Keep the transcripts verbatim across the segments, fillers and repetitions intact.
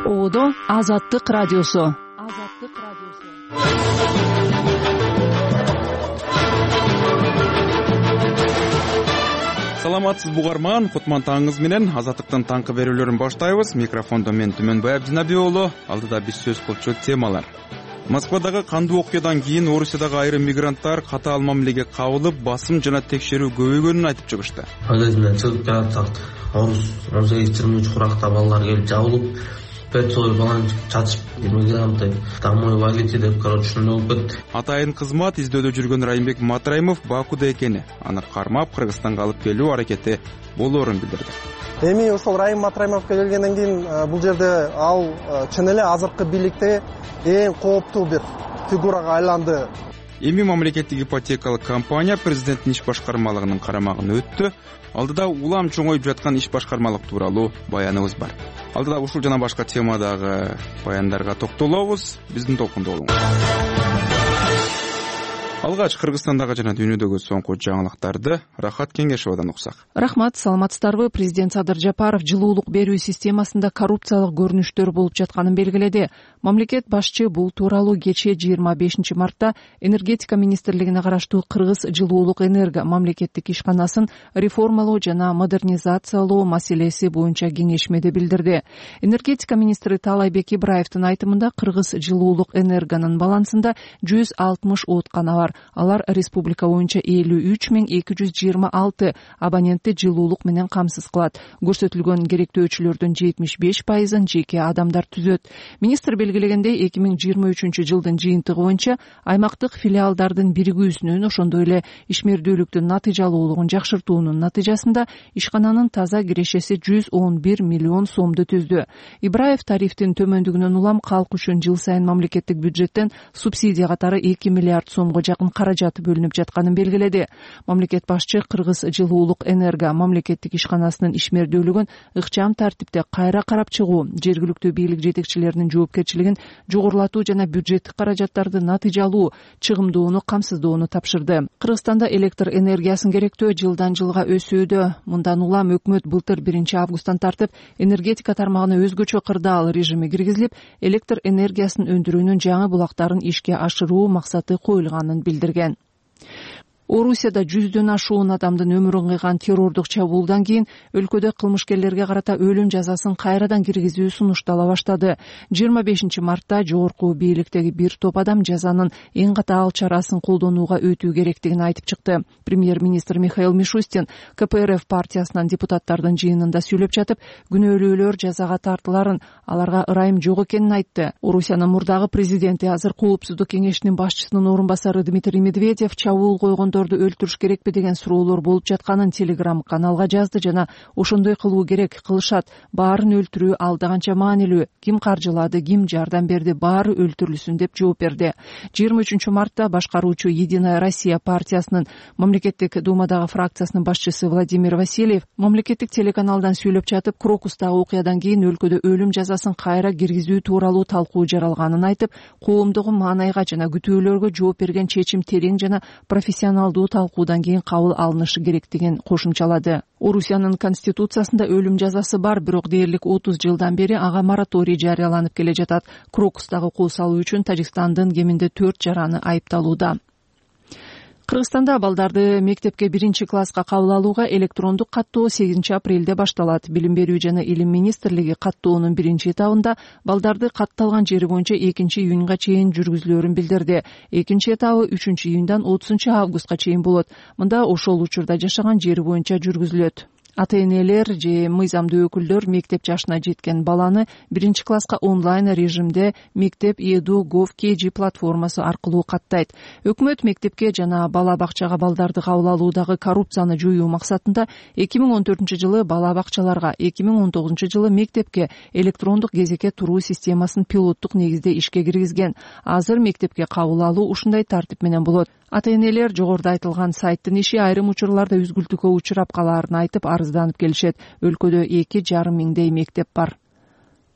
Одо Азаттык радиосу. Азаттык радиосу. Саламатсыз бугарман, кутман таңыңыз менен Азаттыктын таңкы берүүлөрүн баштайбыз. Микрофондо мен Түмөнбай Абдинабий уулу. Алдыда биз сөз кылчу темалар. Москвадагы кандуу окуядан кийин Орусиядагы айрым мигранттар катаал мамилеге кабылып, басым жана текшерүү көбөйгөнүн айтып чыгышты. Магазинден чыгып келатсак, Орус он сегиз жыйырма үч куракта балдар келип жабылып, пятьсот баланы чачып, мигранты домой валите деп, короче, ушундай болуп кетти. Атайын кызмат издөөдө жүргөн Райымбек Матраимов Бакуда экени, аны кармап Кыргызстанга алып келүү аракети болоорун билдирди. Эми ошол Райым Матраимовго келгенден кийин бул жерде ал чын эле азыркы бийликте эң кооптуу бир фигурага айланды. Эми мамлекеттик ипотекалык компания президенттин иш башкармалыгынын карамагына өттү. Алдыда улам чоңоюп жаткан иш башкармалык тууралуу баяныбыз бар. Алдыда ушул жана башка темадагы баяндарга токтолобуз. Биздин толкунда болуңуз. Алгач Кыргызстандагы жана дүйнөдөгү соңку жаңылыктарды Рахат Кеңешовадан уксак. Рахмат, саламатсыздарбы? Президент Садыр Жапаров жылуулук берүү системасында коррупциялык көрүнүштөр болуп жатканын белгиледи. Мамлекет башчы бул тууралуу кечээ жыйырма бешинчи мартта энергетика министрлигине караштуу Кыргыз жылуулук энерго мамлекеттик ишканасын реформалоо жана модернизациялоо маселеси боюнча кеңешмеде билдирди. Энергетика министри Таалайбек Ибраевдин айтымында Кыргыз жылуулук энергонун балансында жүз алтымыш ооткана бар. Алар республика боюнча элүү үч миң эки жүз жыйырма алты абонентти жылуулук менен камсыз кылат. Көрсөтүлгөн керектөөчүлөрдүн жетимиш беш пайызын жеке адамдар түзөт. Министр белгилегендей, эки миң жыйырма үчүнчү жылдын жыйынтыгы боюнча аймактык филиалдардын биригүүсүнүн, ошондой эле ишмердүүлүктүн натыйжалуулугун жакшыртуунун натыйжасында ишкананын таза кирешеси жүз он бир миллион сомду түздү. Ибраев тарифтин төмөндүгүнөн улам калк үчүн жыл сайын мамлекеттик бюджеттен субсидия катары эки миллиард сомго жакын каражат бөлүнүп жатканын белгиледи. Мамлекет башчы Кыргыз жылуулук энерго мамлекеттик ишканасынын ишмердүүлүгүн ыкчам тартипте кайра карап чыгуу, жергиликтүү бийлик жетекчилеринин жоопкерчилигин жогорулатуу жана бюджеттик каражаттарды натыйжалуу, чыгымдууну камсыздоону тапшырды. Кыргызстанда электр энергиясын керектөө жылдан жылга өсүүдө. Мындан улам өкмөт былтыр биринчи августтан тартып энергетика тармагына өзгөчө кырдаал режими киргизилип, электр энергиясын өндүрүүнүн жаңы булактарын ишке ашыруу максаты коюлганын билдирген. Орусияда жүздөн ашуун адамдын өмүрүн кыйган террордук чабуулдан кийин өлкөдө кылмышкерлерге карата өлүм жазасын кайрадан киргизүү сунуштала баштады. жыйырма бешинчи мартта жогорку бийликтеги бир топ адам жазанын эң катаал чарасын колдонууга өтүү керектигин айтып чыкты. Премьер-министр Михаил Мишустин ка пэ эр эф партиясынан депутаттардын жыйынында сүйлөп жатып, күнөөлүүлөр жазага тартыларын, аларга ырайым жок экенин айтты. Орусиянын мурдагы президенти, азыр Коопсуздук кеңешинин башчысынын орун басары Дмитрий Медведев чабуул койгон өлтүрүш керекпи деген суроолор болуп жатканын Telegram каналга жазды жана ошондой кылуу керек, кылышат, баарын өлтүрүү алда канча маанилүү, ким каржылады, ким жардам берди, баары өлтүрүлсүн деп жооп берди. жыйырма үчүнчү мартта башкаруучу Единая Россия партиясынын мамлекеттик думадагы фракциясынын башчысы Владимир Васильев мамлекеттик телеканалдан сүйлөп жатып, Крокустагы окуядан кийин өлкөдө өлүм жазасын кайра киргизүү тууралуу талкуу жаралганын айтып, коомдогу маанайга жана күтүүлөргө жооп берген чечим терең жана профессионал талкуудан кийин кабыл алынышы керектигин кошумчалады. Орусиянын конституциясында өлүм жазасы бар, бирок дээрлик отуз жылдан бери ага мораторий жарыяланып келе жатат. Крокустагы кол салуу үчүн Тажикстандын кеминде төрт жараны айыпталууда. Кыргызстанда балдарды мектепке биринчи класска кабыл алууга электрондук каттоо сегизинчи апрелде башталат. Билим берүү жана илим министрлиги каттоонун биринчи этабында балдарды катталган жери боюнча экинчи июнга чейин жүргүзүлөөрүн билдирди. Экинчи этабы үчүнчү июндан отузунчу августка чейин болот. Мында ошол учурда жашаган жери боюнча жүргүзүлөт. Ата-энелер же мыйзамдуу өкүлдөр мектеп жашына жеткен баланы биринчи класска онлайн режимде мектеп Edu Gov кей джи платформасы аркылуу каттайт. Өкмөт мектепке жана бала бакчага балдарды кабыл алуудагы коррупцияны жоюу максатында эки миң он төртүнчү жылы бала бакчаларга, эки миң он тогузунчу жылы мектепке электрондук кезекке туруу системасын пилоттук негизде ишке киргизген. Азыр мектепке кабыл алуу ушундай тартип менен болот. Ата-энелер жогоруда айтылган сайттын иши айрым учурларда үзгүлтүккө учурап калаарын айтып арызданып келишет. Өлкөдө эки жарым миңдей мектеп бар.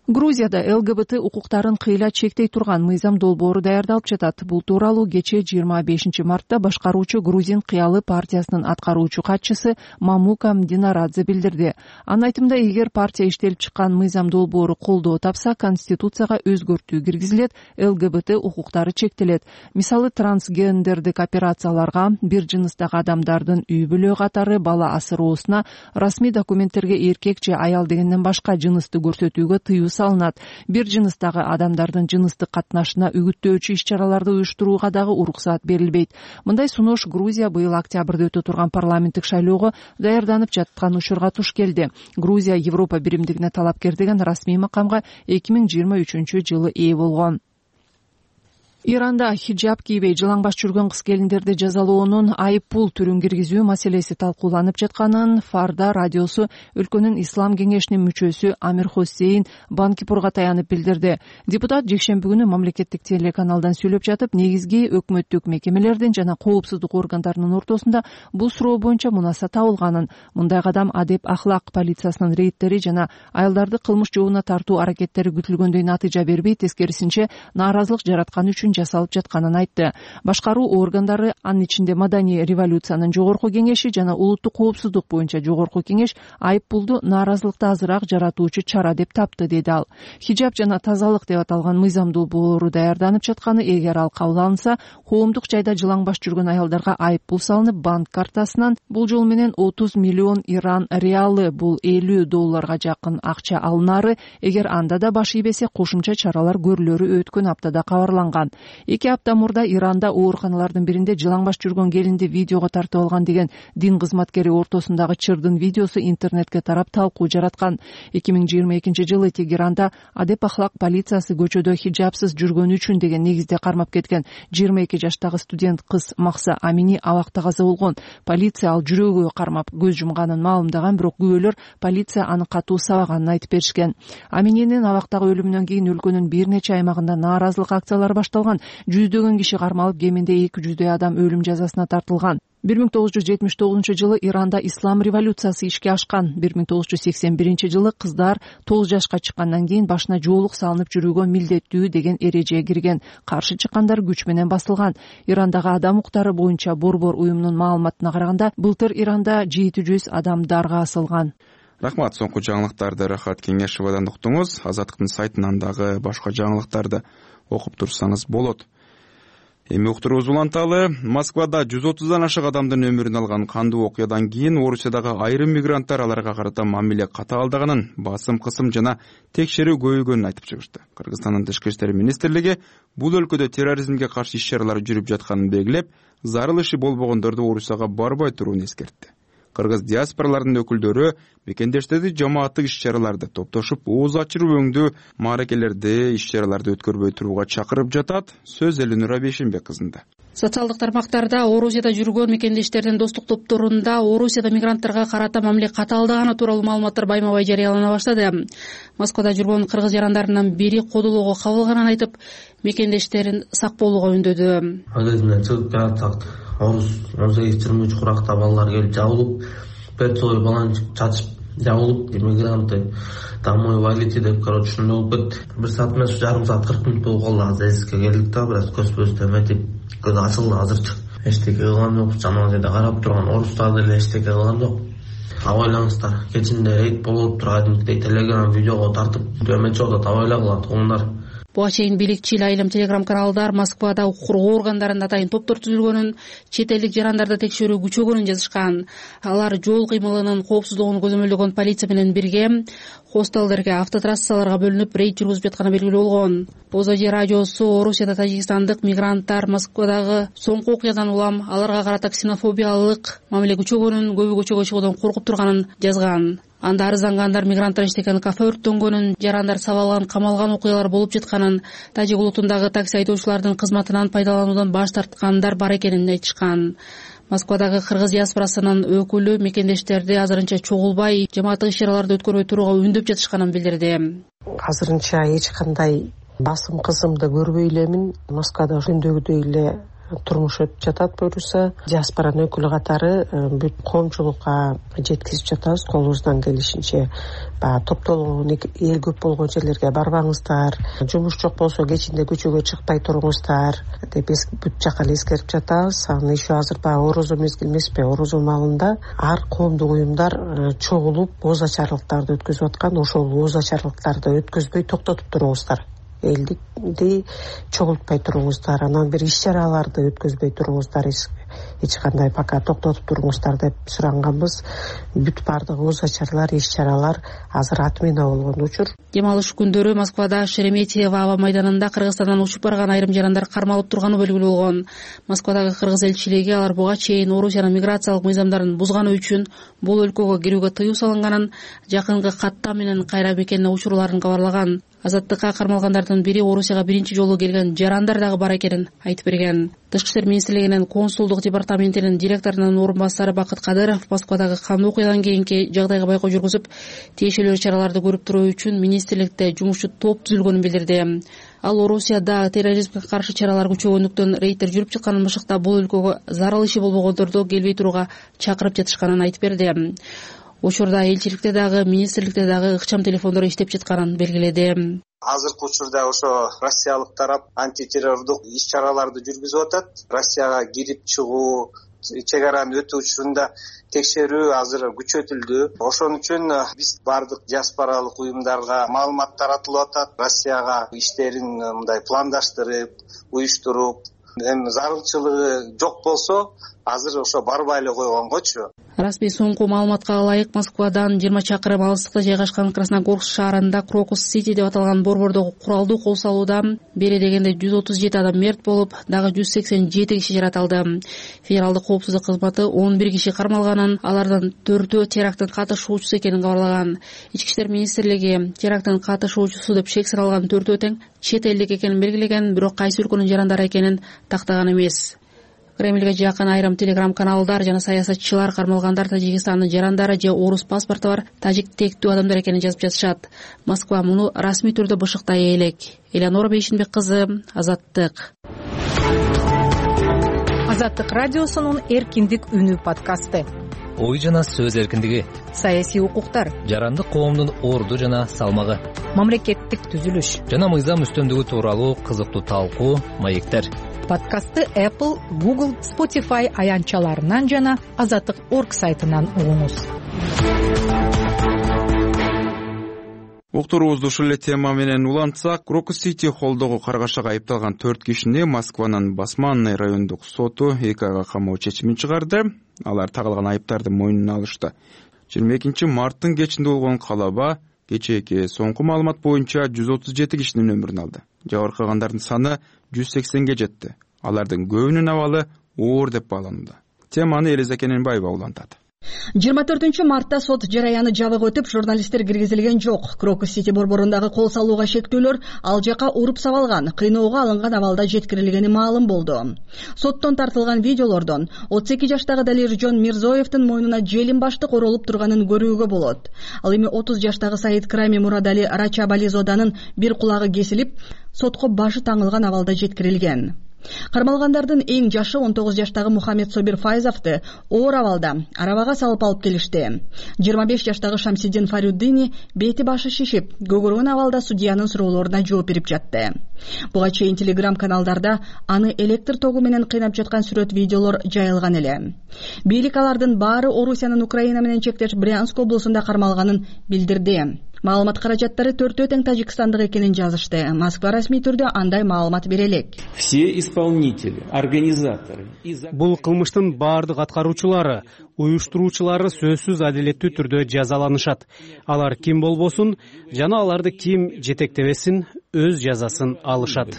Грузияда эл гэ бэ тэ укуктарын кыйла чектей турган мыйзам долбоору даярдалып жатат. Бул тууралуу кечээ жыйырма бешинчи мартта башкаруучу Грузин кыялы партиясынын аткаруучу катчысы Мамука Мдинарадзе билдирди. Анын айтымында, эгер партия иштелип чыккан мыйзам долбоору колдоо тапса, конституцияга өзгөртүү киргизилет, эл гэ бэ тэ укуктары чектелет. Мисалы, трансгендердик операцияларга, бир жыныстагы адамдардын үй бүлө катары бала асыроосуна, расмий документтерге эркек же аял дегенден башка жынысты көрсөтүүгө тыюу салынат. Бир жыныстагы адамдардын жыныстык катнашына үгүттөөчү иш-чараларды уюштурууга дагы уруксаат берилбейт. Мындай сунуш Грузия быйыл октябрда өтө турган парламенттик шайлоого даярданып жаткан учурга туш келди. Грузия Европа биримдигине талапкер деген расмий макамга эки миң жыйырма үчүнчү жылы ээ болгон. Иранда хиджаб кийбей жылаңбаш жүргөн кыз келиндерди жазалоонун айып пул түрүн киргизүү маселеси талкууланып жатканын Фарда радиосу өлкөнүн ислам кеңешинин мүчөсү Амир Хосейн Банкипурга таянып билдирди. Депутат жекшемби күнү мамлекеттик телеканалдан сүйлөп жатып, негизги өкмөттүк мекемелердин жана коопсуздук органдарынын ортосунда бул суроо боюнча мунаса табылганын, мындай кадам адеп ахлак полициясынын рейдтери жана аялдарды кылмыш жообуна тартуу аракеттери күтүлгөндөй натыйжа бербей, тескерисинче нааразылык жараткан үчүн жасалып жатканын айтты. Башкаруу органдары, анын ичинде Маданий революциянын жогорку кеңеши жана улуттук коопсуздук боюнча жогорку кеңеш айып пулду нааразылыкты азыраак жаратуучу чара деп тапты, деди ал. Хиджаб жана тазалык деп аталган мыйзам долбоору даярданып жатканы, эгер ал кабыл алынса, коомдук жайда жылаңбаш жүргөн аялдарга айып пул салынып, банк картасынан бул жол менен отуз миллион иран реалы, бул элүү долларга жакын акча алынары, эгер анда да баш ийбесе кошумча чаралар көрүлөрү өткөн аптада кабарланган. Эки апта мурда Иранда ооруканалардын биринде жылаңбаш жүргөн келинди видеого тартып алган деген дин кызматкери ортосундагы чырдын видеосу интернетке тарап талкуу жараткан. эки миң жыйырма экинчи жылы Тегеранда адеп ахлак полициясы көчөдө хиджабсыз жүргөнү үчүн деген негизде кармап кеткен жыйырма эки жаштагы студент кыз Махса Амини абакта каза болгон. Полиция ал жүрөгү кармап көз жумганын маалымдаган, бирок күбөлөр полиция аны катуу сабаганын айтып беришкен. Амининин абактагы өлүмүнөн кийин өлкөнүн бир нече аймагында нааразылык акциялары башталган. Жүздөгөн киши кармалып, кеминде эки жүздөй адам өлүм жазасына тартылган. бир миң тогуз жүз жетимиш тогузунчу жылы Иранда ислам революциясы ишке ашкан. бир миң тогуз жүз сексен биринчи жылы кыздар тогуз жашка чыккандан кийин башына жоолук салынып жүрүүгө милдеттүү деген эреже кирген. Каршы чыккандар күч менен басылган. Ирандагы адам укуктары боюнча Борбор уюмунун маалыматына караганда, былтыр Иранда жети жүз адам дарга асылган. Рахмат. Соңку жаңылыктарды Рахат Кеңешевадан уктуңуз. Азаттыктын сайтынан дагы башка жаңылыктарды окуп турсаңыз болот. Эми уктуруубуз уланталы. Москвада жүз отуздан ашык адамдын өмүрүн алган кандуу окуядан кийин Орусиядагы айрым мигранттар аларга карата мамиле катаалдаганын, басым кысым жана текшерүү көбөйгөнүн айтып чыгышты. Кыргызстандын тышкы иштер министрлиги бул өлкөдө терроризмге каршы иш-чаралар жүрүп жатканын белгилеп, зарыл иши болбогондорду Орусияга барбай турууну эскертти. Кыргыз диаспораларынын өкүлдөрү мекендештерди жамааттык иш-чараларды топтошуп, ооз ачырып өңдүү мааракелерди, иш-чараларды өткөрбөй турууга чакырып жатат. Сөз Элинура Бейшенбек кызында. Социалдык тармактарда Орусияда жүргөн мекендештердин достук топторунда Орусияда мигранттарга карата мамиле катаалдаганы тууралуу маалыматтар байма-бай жарыялана баштады. Москвада жүргөн кыргыз жарандарынын бири кодолоого кабылганын айтып, мекендештерин сак болууга үндөдү. Магазинден чыгып келатсак, Орус он сегиз жыйырма үч куракта балалар келип жабылып, Петсой баланы чачып жабылып, иммигранты домой валите деп, короче, ушундай болуп кетти. Бир саат эмес, жарым саат кырк мүнөт болуп калды. Азыр эсикке келдик да, бир аз көз-көз эметип, көз ачылды азырчы. Эчтеке кылган жок, жаман жерде карап турган орустар деле эчтеке кылган жок. Абайлаңыздар, кечинде рейд болуп турган телеграм видеого тартып, эметчи болот, абайлагыла туугандар. Буга чейин бийликчил айылым телеграм-каналдар Москвада укук коргоо органдарында атайын топтор түзүлгөнүн, чет элдик жарандарды текшерүү күчөгөнүн жазышкан. Алар жол кыймылынын коопсуздугун көзөмөлдөгөн полиция менен бирге хостелдерге, автотрассаларга бөлүнүп рейд жүргүзүп жатканы белгилүү болгон. Озоди радиосу Орусияда тажикстандык мигранттар Москвадагы соңку окуядан улам аларга карата ксенофобиялык мамиле күчөгөнүн, көбү көчөгө чыгуудан коркуп турганын жазган. Анда арыздангандар мигранттар иштеген кафе өрттөнгөнүн, жарандар сабалган, камалган окуялар болуп жатканын, тажик улутундагы такси айдоочулардын кызматынан пайдалануудан баш тарткандар бар экенин айтышкан. Москвадагы кыргыз диаспорасынын өкүлү мекендештерди азырынча чогулбай, жамааттык иш-чараларды өткөрбөй турууга үндөп жатышканын билдирди. Азырынча эч кандай басым кысымды көрбөй элемин. Москвада күндөгүдөй эле турмуш өтүп жатат буюрса. Диаспоранын өкүлү катары бүт коомчулукка жеткизип жатабыз колубуздан келишинче. Баягы топтолгон эл көп болгон жерлерге барбаңыздар, жумуш жок болсо кечинде көчөгө чыкпай туруңуздар деп бүт жака эле эскерип жатабыз. Анан еще азыр баягы орозо мезгили эмеспи, орозо маалында ар коомдук уюмдар чогулуп ооз ачарлыктарды өткөзүп аткан. Ошол ооз ачарлыктарды өткөзбөй токтотуп туруңуздар, элди чогултпай туруңуздар, анан бир иш чараларды өткөзбөй туруңуздар, эч кандай пока токтотуп туруңуздар деп суранганбыз. Бүт баардык ооз ачарлар, иш чаралар азыр отмена болгон учур. Дем алыш күндөрү Москвада Шереметьево аба майданында Кыргызстандан учуп барган айрым жарандар кармалып турганы белгилүү болгон. Москвадагы кыргыз элчилиги алар буга чейин Орусиянын миграциялык мыйзамдарын бузганы үчүн бул өлкөгө кирүүгө тыюу салынганын, жакынкы каттам менен кайра мекенине учурларын кабарлаган. Азаттыкка кармалгандардын бири Орусияга биринчи жолу келген жарандар дагы бар экенин айтып берген. Тышкы иштер министрлигинин консулдук департаментинин директорунун орун басары Бакыт Кадыров Москвадагы кандуу окуядан кийинки жагдайга байкоо жүргүзүп, тиешелүү чараларды көрүп туруу үчүн министрликте жумушчу топ түзүлгөнүн билдирди. Ал Орусияда терроризмге каршы чаралар күчөгөндүктөн рейдтер жүрүп чыкканын башыкта бул өлкөгө зарыл иши болбогондорду келбей турууга чакырып жатышканын айтып берди. Учурда элчиликте дагы, министрликте дагы ыкчам телефондор иштеп жатканын белгиледи. Азыркы учурда ошо Россиялык тарап антитеррордук иш чараларды жүргүзүп атат. Россияга кирип чыгуу, чек араны өтүү учурунда текшерүү азыр күчөтүлдү. Ошон үчүн биз бардык диаспоралык уюмдарга маалымат таратылып атат. Россияга иштерин мындай пландаштырып, уюштуруп, эми зарылчылыгы жок болсо азыр ошо барбай эле койгонгочу. Расмий соңку маалыматка ылайык Москвадан жыйырма чакырым алыстыкта жайгашкан Красногорск шаарында Крокус Сити деп аталган борбордогу куралдуу кол салууда бери дегенде жүз отуз жети адам мерт болуп, дагы жүз сексен жети киши жаратылды. Федералдык коопсуздук кызматы он бир киши кармалганын, алардын төртөө теракттын катышуучусу экенин кабарлаган. Ички иштер министрлиги теракттын катышуучусу деп шек сыралган төртөө тең чет элдик экенин белгилеген, бирок кайсы өлкөнүн жарандары экенин тактаган эмес. Кремльге жакын айрым телеграм-каналдар жана саясатчылар кармалгандар Тажикстандын жарандары же орус паспорту бар тажик тектүү адамдар экенин жазып жатышат. Москва муну расмий түрдө бышыктай элек. Элеонора Бейшинбек кызы, Азаттык. Азаттык радиосунун эркиндик үнү подкасты. Ой жана сөз эркиндиги, саясий укуктар, жарандык коомдун орду жана салмагы, мамлекеттик түзүлүш жана мыйзам үстөмдүгү тууралуу кызыктуу талкуу, маектер. Подкастты Apple, Google, Spotify аянтчаларынан жана азаттык точка орг сайтынан угуңуз. Уктуруубузду ушул эле тема менен улантсак, Крокус Сити холлдогу каргашага айыпталган төрт кишини Москванын Басманный райондук соту эки айга камоо чечимин чыгарды. Алар тагылган айыптарды мойнуна алышты. жыйырма экинчи марттын кечинде болгон калаба кечээки соңку маалымат боюнча жүз отуз жети кишинин өмүрүн алды. Жабыркагандардын саны жүз сексенге жетти. Алардын көбүнүн абалы оор деп бааланууда. Теманы Элиза Кененбаева улантат. жыйырма төртүнчү мартта сот жараяны жабык өтүп, журналисттер киргизилген жок. Крокус Сити борборундагы кол салууга шектөөлөр ал жака уруп сабалган, кыйноого алынган абалда жеткирилгени маалым болду. Соттон тартылган видеолордон отуз эки жаштагы Далиржон Мирзоевдин мойнуна желим баштык оролуп турганын көрүүгө болот. Ал эми отуз жаштагы Саид Крами Мурадали Рачабализоданын бир кулагы кесилип, сотко башы таңылган абалда жеткирилген. Кармалгандардын эң жашы он тогуз жаштагы Мухаммед Собир Файзовду оор абалда арабага салып алып келишти. жыйырма беш жаштагы Шамсиддин Фарюддини бети башы шишип, көгөргөн абалда судьянын суроолоруна жооп берип жатты. Буга чейин телеграм-каналдарда аны электр тогу менен кыйнап жаткан сүрөт видеолор жайылган эле. Бийлик алардын баары Орусиянын Украина менен чектеш Брянск облусунда кармалганын билдирди. Маалымат каражаттары төртөө тең тажикстандык экенин жазышты. Москва расмий түрдө андай маалымат бере элек. Все исполнители, организаторы. Бул кылмыштын баардык аткаруучулары, уюштуруучулары сөзсүз адилеттүү түрдө жазаланышат. Алар ким болбосун жана аларды ким жетектебесин өз жазасын алышат.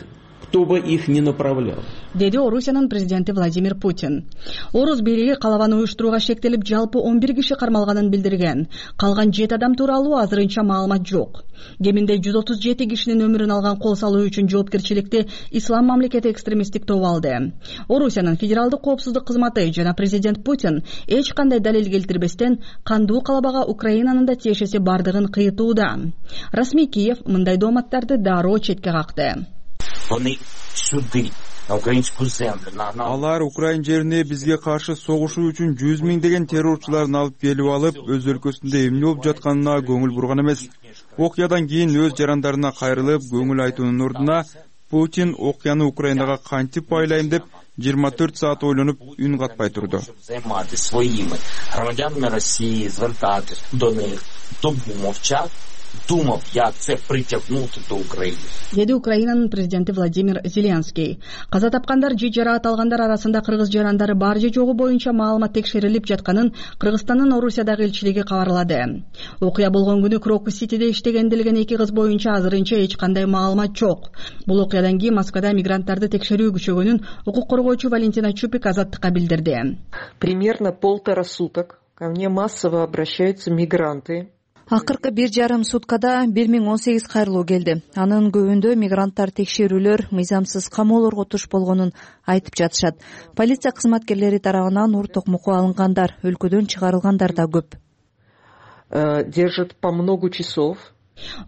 Кто бы их не направлял, деди Орусиянын президенти Владимир Путин. Орус бийлиги калабаны уюштурууга шектелип, жалпы он бир киши кармалганын билдирген. Калган жети адам тууралуу азырынча маалымат жок. Кеминде жүз отуз жети кишинин өмүрүн алган кол салуу үчүн жоопкерчиликти Ислам мамлекети экстремисттик тобу алды. Орусиянын федералдык коопсуздук кызматы жана президент Путин эч кандай далил келтирбестен кандуу калабага Украинанын да тиешеси бардыгын кыйтууда. Расмий Киев мындай дооматтарды дароо четке какты. Вони сюди алар Украин жерине бизге каршы согушуу үчүн жүз миңдеген террорчуларын алып келип алып, өз өлкөсүндө эмне болуп жатканына көңүл бурган эмес. Окуядан кийин өз жарандарына кайрылып, көңүл айтуунун ордуна Путин окуяны Украинага кантип байлайм деп жыйырма төрт саат ойлонуп, үн катпай турду. думав, як це притягнути до України. Деди Украинанын президенти Владимир Зеленский. Каза тапкандар же жараат алгандар арасында кыргыз жарандары бар же жогу боюнча маалымат текшерилип жатканын Кыргызстандын Орусиядагы элчилиги кабарлады. Окуя болгон күнү Крокус-Ситиде иштеген делген эки кыз боюнча азырынча эч кандай маалымат жок. Бул окуядан кийин Москвада мигранттарды текшерүү күчөгөнүн укук коргоочу Валентина Чупик Азаттыкка билдирди. Примерно полтора суток ко мне массово обращаются мигранты. Акыркы бир жарым суткада бир миң он сегиз кайрылуу келди. Анын көбүндө мигранттар текшерүүлөр, мыйзамсыз камоолорго туш болгонун айтып жатышат. Полиция кызматкерлери тарабынан ур токмокко алынгандар, өлкөдөн чыгарылгандар да көп. Держат по много часов.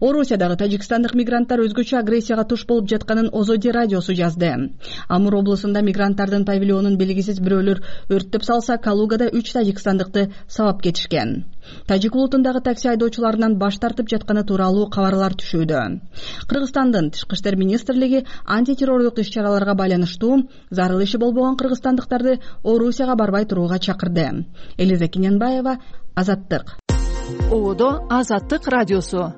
Орусиядагы тажикстандык мигранттар өзгөчө агрессияга туш болуп жатканын Озоди радиосу жазды. Амур облусунда мигранттардын павильонун белгисиз бирөөлөр өрттөп салса, Калугада үч тажикстандыкты сабап кетишкен. Тажик улутундагы такси айдоочуларынан баш тартып жатканы тууралуу кабарлар түшүүдө. Кыргызстандын Тышкы иштер министрлиги антитеррордук иш-чараларга байланыштуу зарыл иши болбогон кыргызстандыктарды Орусияга барбай турууга чакырды. Элиза Кененбаева, Азаттык. Ободо Азаттык радиосу.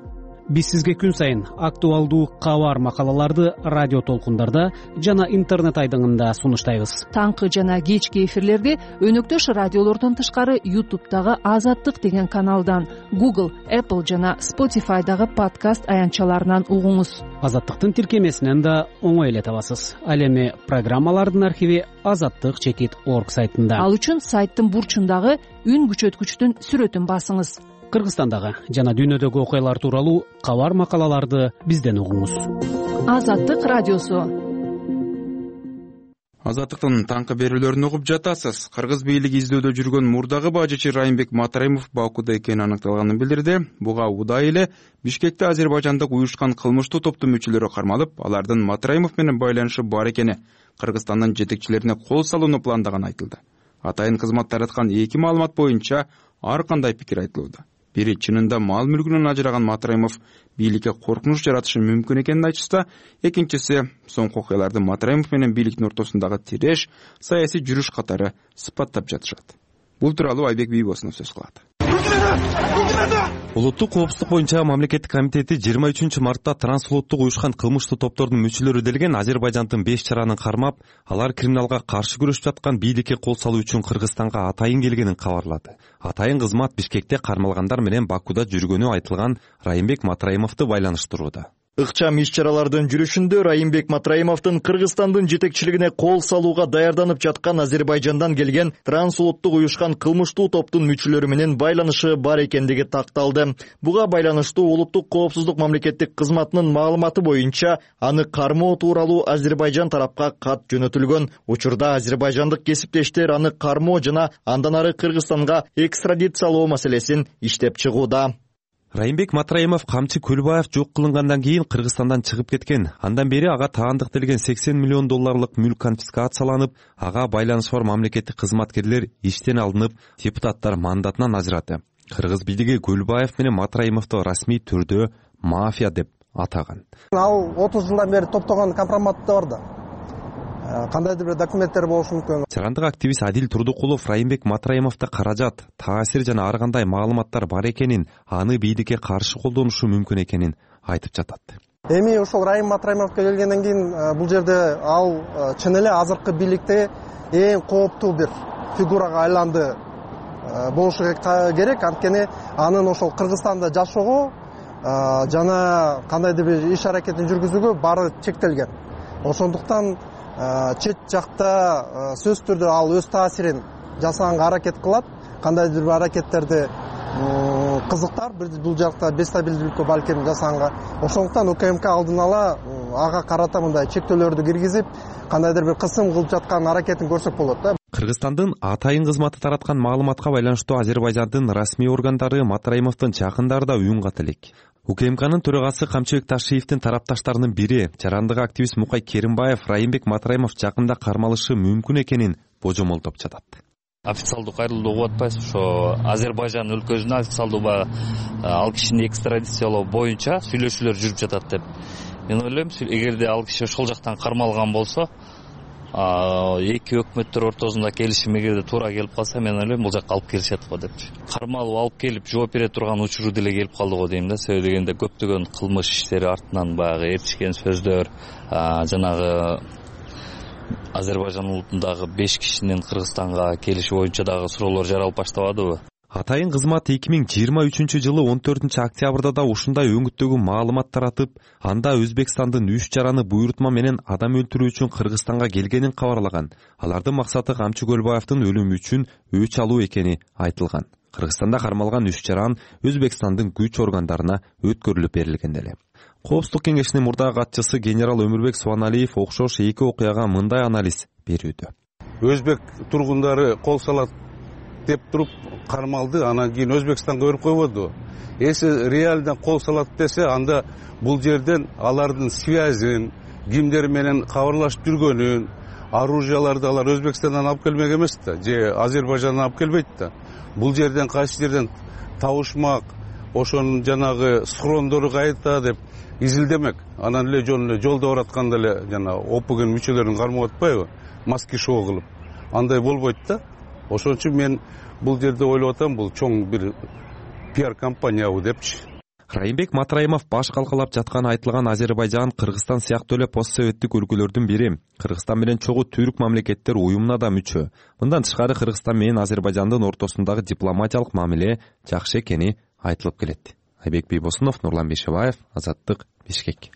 Биз сизге күн сайын актуалдуу кабар макалаларды радио толкундарда жана интернет айдыңында сунуштайбыз. Таңкы жана кечки эфирлерди өнөктөш радиолордон тышкары YouTube'дагы Азаттык деген каналдан, Google, Apple жана Spotify'дагы подкаст аянтчаларынан угуңуз. Азаттыктын тиркемесинен да оңой эле табасыз. Ал эми программалардын архиви азаттык чекит точка орг сайтында. Ал үчүн сайттын бурчундагы үн күчөткүчтүн сүрөтүн басыңыз. Кыргызстандагы жана дүйнөдөгү окуялар тууралуу кабар макалаларды бизден угуңуз. Азаттык радиосу. Азаттыктын таңкы берүүлөрүн угуп жатасыз. Кыргыз бийлиги издөдө жүргөн мурдагы бажычы Райымбек Матраимов Бакуда экени аныкталганын билдирди. Буга удай эле Бишкекте Азербайжандык уюшкан кылмыштуу топтун мүчөлөрү кармалып, алардын Матраимов менен байланышы бар экени Кыргызстандын жетекчилерине кол салууну пландаганы айтылды. Атайын кызмат тараткан эки маалымат боюнча ар кандай пикир айтылууда. Бири чынында мал мүлкүнөн ажыраган Матраимов бийликке коркунуч жаратышы мүмкүн экенин айтышса, экинчиси соңку окуяларды Матраимов менен бийликтин ортосундагы тиреш, саясий жүрүш катары сыпаттап жатышат. Бул тууралуу Айбек Бийбосунов сөз кылат. Улуттук коопсуздук боюнча мамлекеттик комитети жыйырма үчүнчү мартта трансулуттук уюшкан кылмыштуу топтордун мүчөлөрү делген Азербайжандын беш чаранын кармап, алар криминалга каршы күрөшүп жаткан бийликке кол салуу үчүн Кыргызстанга атайын келгенин кабарлады. Атайын кызмат Бишкекте кармалгандар менен Бакуда жүргөнү айтылган Райымбек Матраимовду байланыштырууда. Ыкчам иш-чаралардын жүрүшүндө Райымбек Матраимовдун Кыргызстандын жетекчилигине кол салууга даярданып жаткан Азербайжандан келген трансулуттук уюшкан кылмыштуу топтун мүчөлөрү менен байланышы бар экендиги такталды. Буга байланыштуу улуттук коопсуздук мамлекеттик кызматынын маалыматы боюнча аны кармоо тууралуу Азербайжан тарапка кат жөнөтүлгөн. Учурда азербайжандык кесиптештер аны кармоо жана андан ары Кыргызстанга экстрадициялоо маселесин иштеп чыгууда. Райымбек Матраимов камчы Көлбаев жок кылынгандан кийин Кыргызстандан чыгып кеткен. Андан бери ага таандык делген сексен миллион долларлык мүлк конфискацияланып, ага байланышы бар мамлекеттик кызматкерлер иштен алынып, депутаттар мандатынан ажырады. Кыргыз бийлиги Көлбаев менен Матраимовду расмий түрдө мафия деп атаган. Ал отуз жылдан бери топтогон компромат да бар да. Кандайдыр бир документтер болушу мүмкүн. Чарандык активист Адил Турдукулов Райымбек Матраимовдо каражат, таасир жана ар кандай маалыматтар бар экенин, аны бийликке каршы колдонушу мүмкүн экенин айтып жатат. Эми ошол Райым Матраимовго келгенден кийин бул жерде ал чын эле азыркы бийликте эң кооптуу бир фигурага айланды болушу керек. Анткени анын ошол Кыргызстанда жашоого жана кандайдыр бир иш аракетин жүргүзүүгө баары чектелген. Ошондуктан чет жакта сөзсүз түрдө ал өз таасирин жасаганга аракет кылат. Кандайдыр бир аракеттерди кызыктар бул жакта бестабилдүүлүккө балким жасаганга. Ошондуктан УКМК алдын ала ага карата мындай чектөөлөрдү киргизип, кандайдыр бир кысым кылып жаткан аракетин көрсөк болот да. Кыргызстандын атайын кызматы тараткан маалыматка байланыштуу Азербайжандын расмий органдары Матраимовдун жакындарда үн ката элек. УКМКнын төрагасы Камчыбек Ташиевдин тарапташтарынын бири, жарандык активист Мукай Керимбаев Райымбек Матраимов жакында кармалышы мүмкүн экенин божомолдоп жатат. Официалдуу кайрылуу угуп атпайсызбы? Ошо Азербайжан өлкөсүнө официалдуу баягы ал кишини экстрадициялоо боюнча сүйлөшүүлөр жүрүп жатат деп. Мен ойлойм, эгерде ал киши ошол жактан кармалган болсо, эки өкмөттөр ортосунда келишим эгерде туура келип калса, мен ойлойм бул жакка алып келишет го депчи. Кармалып алып келип жооп бере турган учуру деле келип калды го дейм да. Себеби дегенде көптөгөн кылмыш иштери артынан баягы ээрчишкен сөздөр, жанагы Азербайжан улутундагы беш кишинин Кыргызстанга келиши боюнча дагы суроолор жаралып баштабадыбы? Атайын кызмат эки миң жыйырма үчүнчү жылы он төртүнчү октябрда да ушундай өңүттөгү маалымат таратып, анда Өзбекстандын үч жараны буйрутма менен адам өлтүрүү үчүн Кыргызстанга келгенин кабарлаган. Алардын максаты Камчы Көлбаевдин өлүмү үчүн өч алуу экени айтылган. Кыргызстанда кармалган үч жаран Өзбекстандын күч органдарына өткөрүлүп берилген деле. Коопсуздук кеңешинин мурдагы катчысы генерал Өмүрбек Субаналиев окшош эки окуяга мындай анализ берүүдө. Өзбек тургундары кол салат деп туруп кармалды, анан кийин Өзбекстанга өбүрүп койбоду. Эси реалдан кол салат десе, анда бул жерден алардын связин, кимдер менен кабарлашып жүргөнүн, оружияларды алар Өзбекстандан алып келмек эмес да, же Азербайжандан алып келбейт да. Бул жерден кайсы жерден табышмак, ошонун жанагы схрондору кайда деп изилдемек. Анан эле жөн эле жолдо баратканда эле жана опуген мүчөлөрүн кармап атпайбы, маски шоу кылып. Андай болбойт да. Ошон үчүн мен бул жерде ойлоп атам, бул чоң бир пиар компаниябы депчи. Райымбек Матраимов баш калкалап жатканы айтылган Азербайжан, Кыргызстан сыяктуу эле постсоветтик өлкөлөрдүн бири. Кыргызстан менен чогуу түрк мамлекеттер уюмуна да мүчө. Мындан тышкары Кыргызстан менен Азербайжандын ортосундагы дипломатиялык мамиле жакшы экени айтылып келет. Айбек Бийбосунов, Нурлан Бейшебаев, Азаттык, Бишкек.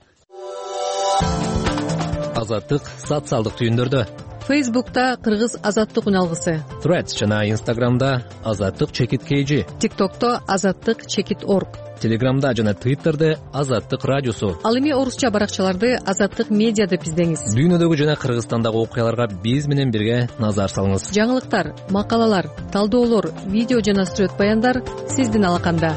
Азаттык социалдык түйүндөрдө. Фейсбукта Кыргыз Азаттык үналгысы, Threads жана Инстаграмда Азаттык чекит kg, ТикТокто Азаттык чекит орг, Телеграмда жана Твиттерде Азаттык радиосу. Ал эми орусча баракчаларды Азаттык медиа деп издеңиз. Дүйнөдөгү жана Кыргызстандагы окуяларга биз менен бирге назар салыңыз. Жаңылыктар, макалалар, талдоолор, видео жана сүрөт баяндар сиздин алаканда.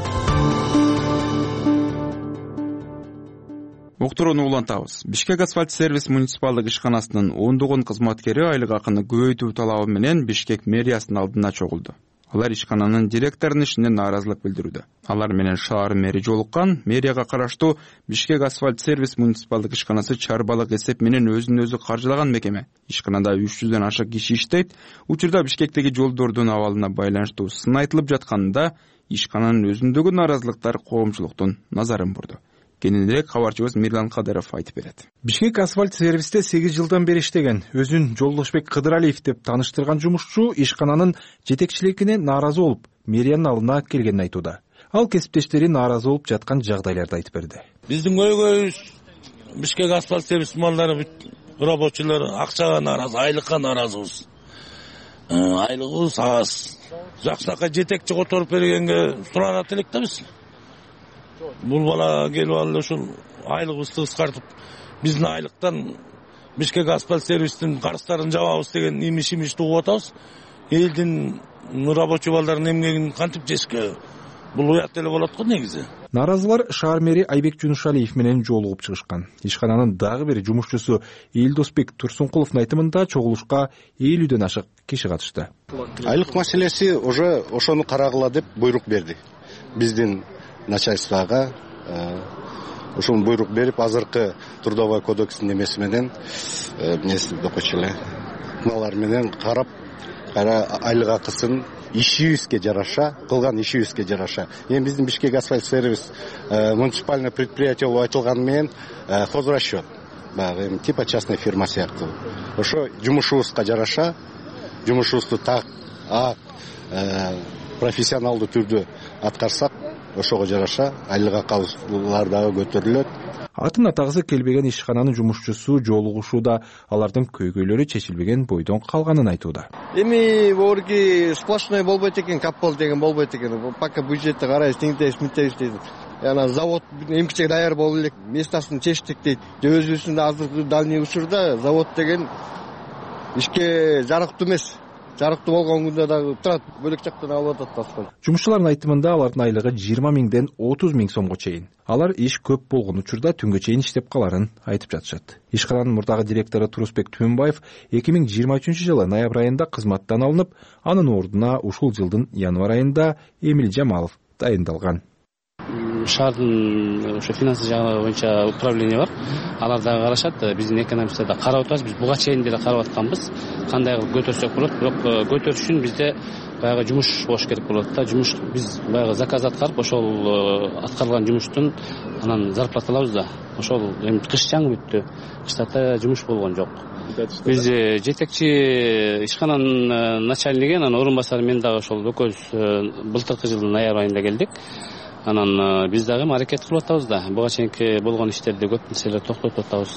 Уктурууну улантабыз. Бишкек асфальт сервис муниципалдык ишканасынын ондогон кызматкери айлык акыны көбөйтүү талабы менен Бишкек мэриясынын алдына чогулду. Алар ишкананын директорунун ишине нааразылык билдирүүдө. Алар менен шаар мэри жолуккан. Мэрияга караштуу Бишкек асфальт сервис муниципалдык ишканасы чарбалык эсеп менен өзүн өзү каржылаган мекеме. Ишканада үч жүздөн ашык киши иштейт. Учурда Бишкектеги жолдордун абалына байланыштуу сын айтылып жатканында ишкананын өзүндөгү нааразылыктар коомчулуктун назарын бурду. Кененирээк кабарчыбыз Мирлан Кадыров айтып берет. Бишкек асфальт сервисте сегиз жылдан бери иштеген, өзүн Жолдошбек Кыдыралиев деп тааныштырган жумушчу ишкананын жетекчилигине нааразы болуп, мэриянын алдына келгенин айтууда. Ал кесиптештери нааразы болуп жаткан жагдайларды айтып берди. Биздин көйгөйүбүз Бишкек асфальт сервис малдары рабочилер акчага нааразы, айлыкка нааразыбыз. Айлыгыбыз аз. Жакшынакай жетекчи которуп бергенге суранат элек да биз. Бул бала келип алып ушул айлыгыбызды кыскартып, биздин айлыктан Бишкек асфальт сервистин карыздарын жабабыз деген имиш-имишти угуп атабыз. Элдин рабочий балдардын эмгегин кантип жешке? Бул уят эле болот го негизи. Нааразылар шаар мэри Айбек Жунушалиев менен жолугуп чыгышкан. Ишкананын дагы бир жумушчусу Элдосбек Турсункуловдун айтымында чогулушка элүүдөн ашык киши катышты. Айлык маселеси уже ошону карагыла деп буйрук берди. Биздин начальствага ушул буйрук берип, азыркы трудовой кодекстин эмеси менен эмнеси окучу эле мыналар менен карап, кайра айлык акысын ишибизге жараша, кылган ишибизге жараша. Эми биздин Бишкек асфальт сервис муниципальный предприятие болуп айтылганы менен хозрасчет, баягы эми типа частный фирма сыяктуу. Ошо жумушубузга жараша, жумушубузду так профессионалдуу түрдө аткарсак, ошого жараша айлык акыбыздар дагы көтөрүлөт. Атын атагысы келбеген ишкананын жумушчусу жолугушууда алардын көйгөйлөрү чечилбеген бойдон калганын айтууда. Эми борги сплошной болбойт экен, каппол деген болбойт экен. Пока бюджетти карайбыз, теңдейбиз, мынтебиз дейт. Яна завод эмкичек даяр болуп элек, местасын чечтик дейт. Өзүбүздүн азыркы дальний учурда завод деген ишке жарыктуу эмес. жарыктуу болгон күндө дагы турат бөлөк жактан алып атат асфальт. Жумушчулардын айтымында алардын айлыгы жыйырма миңден отуз миң сомго чейин. Алар иш көп болгон учурда түнгө чейин иштеп каларын айтып жатышат. Ишкананын мурдагы директору Турусбек Түмөнбаев эки миң жыйырма үчүнчү жылы ноябрь айында кызматтан алынып, анын ордуна ушул жылдын январь айында Эмил Жамалов дайындалган. Шаардын ошо финансы жагы боюнча управление бар. Алар дагы карашат. Биздин экономистер да карап атабыз. Биз буга чейин деле карап атканбыз. Кандай кылып көтөрсөк болот, бирок көтөрүш үчүн бизде баягы жумуш болуш керек болот да. Жумуш биз баягы заказ аткарып, ошол аткарылган жумуштун анан зарплата алабыз да. Ошол эми кыш жаңы бүттү. Кыштата жумуш болгон жок. Биз жетекчи ишкананын начальниги, анан орун басары мен дагы ошол экөөбүз былтыркы жылдын ноябрь айында келдик. Анан биз дагы аракет кылып атабыз да. Буга чейинки болгон иштерди көп нерселер токтотуп атабыз.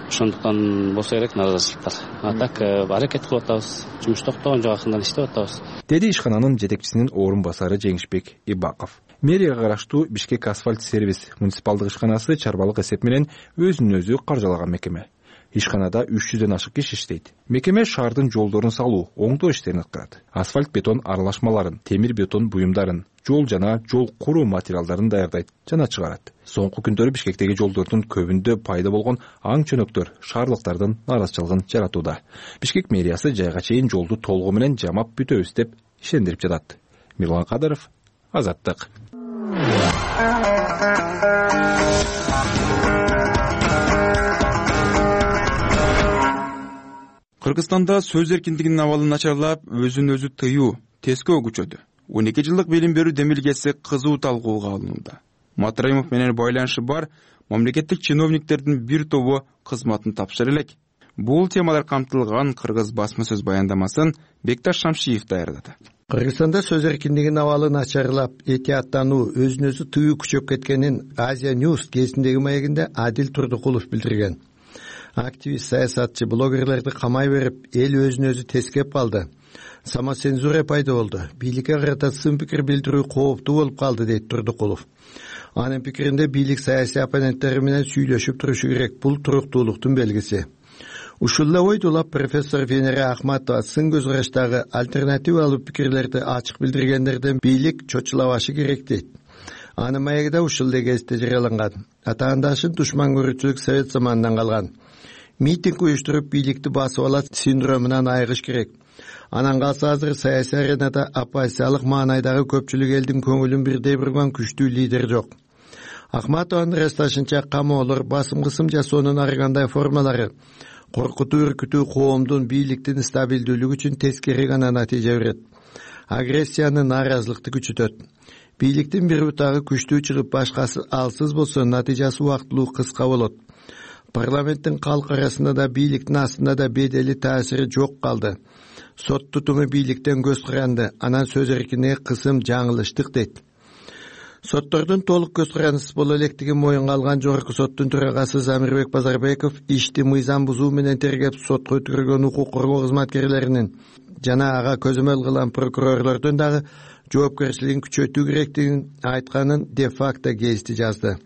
Ошондуктан болсо керек наразычылыктар. А так аракет кылып атабыз. Жумуш токтогон жок, акырындан иштеп атабыз. Деди ишкананын жетекчисинин орун басары Жеңишбек Ибаков. Мэрияга караштуу Бишкек асфальт сервис муниципалдык ишканасы чарбалык эсеп менен өзүн өзү каржалаган мекеме. Ишканада үч жүздөн ашык киши иштейт. Мекеме шаардын жолдорун салуу, оңдоо иштерин аткарат. Асфальт бетон аралашмаларын, темир бетон буюмдарын, жол жана жол куруу материалдарын даярдайт жана чыгарат. Соңку күндөрү Бишкектеги жолдордун көбүндө пайда болгон аң чөнөктөр шаарлыктардын наразычылыгын жаратууда. Бишкек мэриясы жайга чейин жолду толугу менен жамап бүтөбүз деп ишендирип жатат. Мирлан Кадыров, Азаттык. Кыргызстанда сөз эркиндигинин абалы начарлап, өзүн өзү тыюу тескөө күчөдү. он эки жылдык билим берүү демилгеси кызуу талкууга алынууда. Матраимов менен байланышы бар мамлекеттик чиновниктердин бир тобу кызматын тапшыры элек. Бул темалар камтылган кыргыз басма сөз баяндамасын Бекташ Шамшиев даярдады. Кыргызстанда сөз эркиндигинин абалы начарлап, этияттануу, өзүн өзү тыюу күчөп кеткенин Азия News кезиндеги маегинде Адил Турдукулов билдирген. Активист, саясатчы, блогерлерди камай берип, эл өзүн өзү тескеп калды. Самоцензура пайда болду. Бийликке карата сын пикир билдирүү кооптуу болуп калды, дейт Турдукулов. Анын пикиринде бийлик саясий оппоненттери менен сүйлөшүп турушу керек. Бул туруктуулуктун белгиси. Ушул эле ойду улап профессор Венера Ахматова сын көз караштагы альтернативалуу пикирлерди ачык билдиргендерден бийлик чочулабашы керек дейт. Анын маегиде ушул эле кезде жарыяланган. Атаандашын душман көрүүчүлүк совет заманынан калган. Митинг уюштуруп бийликти басып алат синдромунан айыгыш керек. Анан калса азыр саясий аренада оппозициялык маанайдагы көпчүлүк элдин көңүлүн бирдей бурган күчтүү лидер жок. Ахматованын ырасташынча камоолор, басым кысым жасоонун ар кандай формалары коркутуу, үркүтүү коомдун бийликтин стабилдүүлүгү үчүн тескери гана натыйжа берет. Агрессияны, нааразылыкты күчөтөт. Бийликтин бир бутагы күчтүү чыгып, башкасы алсыз болсо, натыйжасы убактылуу кыска болот. Парламенттин калк арасында да бийликтин астында да бедели таасири жок калды. Сот тутуму бийликтен көз каранды, анан сөз эркиндиги кысым жаңылыштык дейт. Соттордун толук көз карандысыз боло электигин моюнга алган жогорку соттун төрагасы Замирбек Базарбеков ишти мыйзам бузуу менен тергеп сотко өткөргөн укук коргоо кызматкерлеринин жана ага көзөмөл кылган прокурорлордун дагы жоопкерчилигин күчөтүү керектигин айтканын де-факто гезити жазды.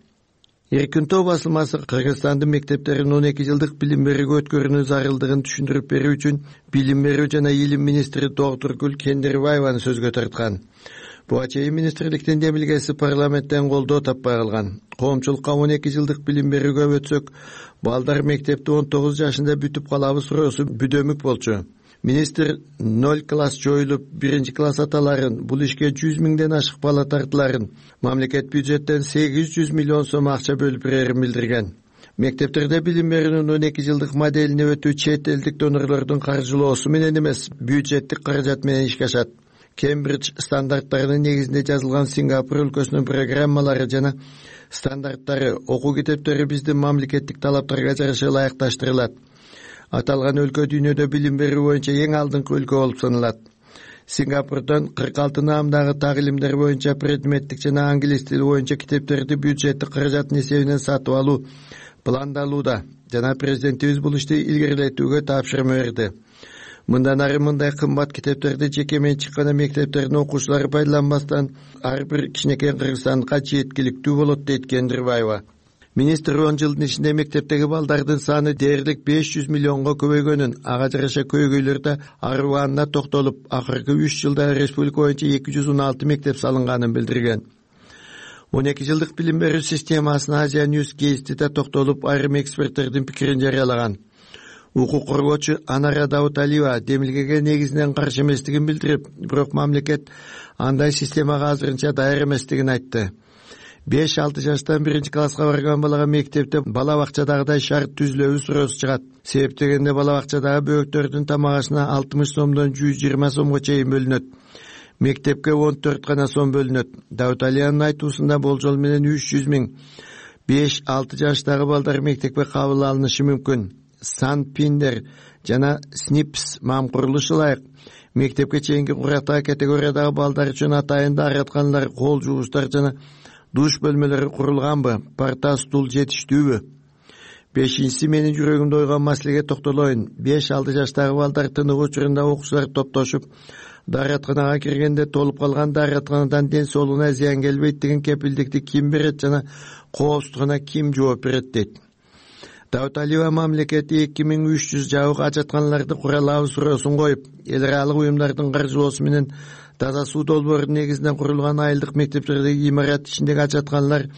Эркинтоо басылмасы Кыргызстандын мектептерин он эки жылдык билим берүүгө өткөрүүнүн зарылдыгын түшүндүрүп берүү үчүн билим берүү жана илим министри Доктургүл Кендирбаеваны сөзгө тарткан. Буга чейин министрликтин демилгеси парламенттен колдоо таппай калган. Коомчулукка он эки жылдык билим берүүгө өтсөк, балдар мектепти он тогуз жашында бүтүп калабы суроосу бүдөмүк болчу. Министр ноль класс жоюлуп, биринчи класс аталарын, бул ишке жүз миңден ашык бала тартыларын, мамлекет бюджеттен сегиз жүз миллион сом акча бөлүп берерин билдирген. Мектептерде билим берүүнүн он эки жылдык моделине өтүү чет элдик донорлордун каржылоосу менен эмес, бюджеттик каражат менен ишке ашат. Кембридж стандарттарынын негизинде жазылган Сингапур өлкөсүнүн программалары жана стандарттары, окуу китептери биздин мамлекеттик талаптарга жараша ылайыкташтырылат. Аталган өлкө дүйнөдө билим берүү боюнча эң алдыңкы өлкө болуп саналат. Сингапурдон кырк алты наамдагы так илимдер боюнча предметтик жана англис тили боюнча китептерди бюджеттик каражаттын эсебинен сатып алуу пландалууда жана президентибиз бул ишти илгерилетүүгө тапшырма берди. Мындан ары мындай кымбат китептерди жеке менчик гана мектептердин окуучулары пайдаланбастан ар бир кичинекей кыргызстанга жеткиликтүү болот, дейт Кендирбаева. министр он жылдын ичинде мектептеги балдардын саны дээрлик беш жүз миллионго көбөйгөнүн, ага жараша көйгөйлөр да арыбаанына токтолуп, акыркы үч жылда республика боюнча эки жүз он алты мектеп салынганын билдирген. он эки жылдык билим берүү системасына Азия Ньюс гезитиде токтолуп, айрым эксперттердин пикирин жарыялаган. Укук коргоочу Анара Дауталиева демилгеге негизинен каршы эместигин билдирип, бирок мамлекет андай системага азырынча даяр эместигин айтты. беш алты жаштан биринчи класска барган балага мектепте бала бакчадагыдай шарт түзүлөбү суроосу чыгат. Себеп дегенде бала бакчадагы бөбөктөрдүн тамак ашына алтымыш сомдон жүз жыйырма сомго чейин бөлүнөт. Мектепке он төрт гана сом бөлүнөт. Дауталиянын айтуусунда болжол менен үч жүз миң беш алты жаштагы балдар мектепке кабыл алынышы мүмкүн. Санпиндер жана СНИПС мам курулушу ылайык. Мектепке чейинки курактагы категориядагы балдар үчүн атайын дааратканалар, кол жугучтар жана душ бөлмөлөрү курулганбы? Парта, стул жетиштүүбү? Бешинчиси менин жүрөгүмдө ойгон маселеге токтолоюн. беш алты жаштагы балдар тыныгуу учурунда окуучулар топтошуп дааратканага киргенде толуп калган дааратканадан ден соолугуна зыян келбейт деген кепилдикти ким берет жана коопсуздугуна ким жооп берет дейт. Дауталиева мамлекети эки миң үч жүз жабык ажатканаларды куралабы суроосун коюп, эл аралык уюмдардын каржылоосу менен таза суу долбоорунун негизинен курулган айылдык мектептердеги имарат ичиндеги ажатканалар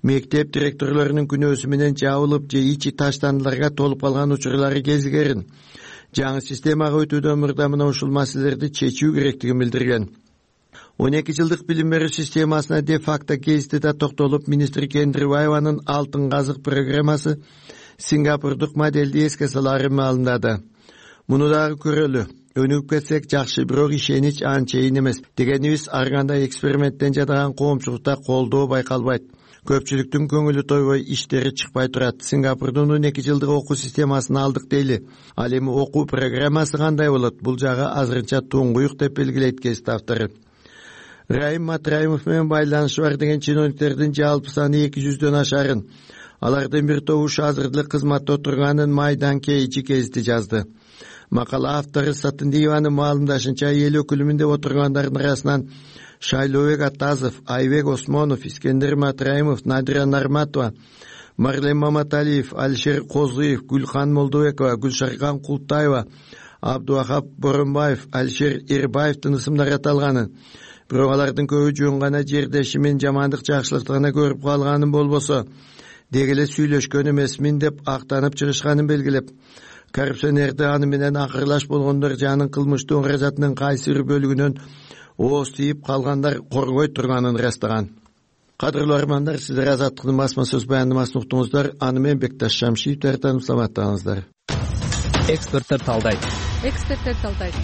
мектеп директорлорунун күнөөсү менен жабылып же ичи таштандыларга толуп калган учурлары кезигерин. Жаңы системага өтүүдөн мурда мына ушул маселелерди чечүү керектигин билдирген. он эки жылдык билим берүү системасына де факто гезитиде токтолуп, министр Кендирбаеванын алтын казык программасы Сингапурдук моделди эске салаарын маалымдады. Муну дагы көрөлү. Өнүгүп кетсек жакшы, бирок ишенич анчейин эмес. Дегенибиз ар кандай эксперименттен жадаган коомчулукта колдоо байкалбайт. Көпчүлүктүн көңүлү тойбой, иштери чыкпай турат. Сингапурдун он эки жылдык окуу системасын алдык дейли. Ал эми окуу программасы кандай болот? Бул жагы азырынча туңгуюк деп белгилейт гезит автору. Раим Матраимов менен байланышы бар деген чиновниктердин жалпы саны эки жүздөн ашарын. Алардын бир тобу азыр деле кызматта отурганын Майдан Кейчи гезити жазды. Макала автору Сатындиеванын маалымдашынча, эл өкүлүмүн деп отургандардын арасынан Шайлообек Атазов, Айбек Осмонов, Искендер Матраимов, Надира Нарматова, Марлен Маматалиев, Алишер Козыев, Гүлхан Молдобекова, Гүлшаркан Култаева, Абдуахап Боронбаев, Алишер Эрбаевдин ысымдары аталганын. Бирок алардын көбү жөн гана жердеши менен жамандык жакшылыкты гана көрүп калганын болбосо, дегеле сүйлөшкөн эмесмин деп актанып чыгышканын белгилеп, коррупционерди аны менен акырлаш болгондор жанын кылмыштуу каражатынын кайсы бир бөлүгүнөн ооз тийип калгандар коргой турганын ырастаган. Кадырлуу армандар, сиздер Азаттыктын басма сөз баяндамасын уктуңуздар. Аны менен Бекташ Шамшиев тарыптан саламаттаңыздар. Эксперттер талдайт. Эксперттер талдайт.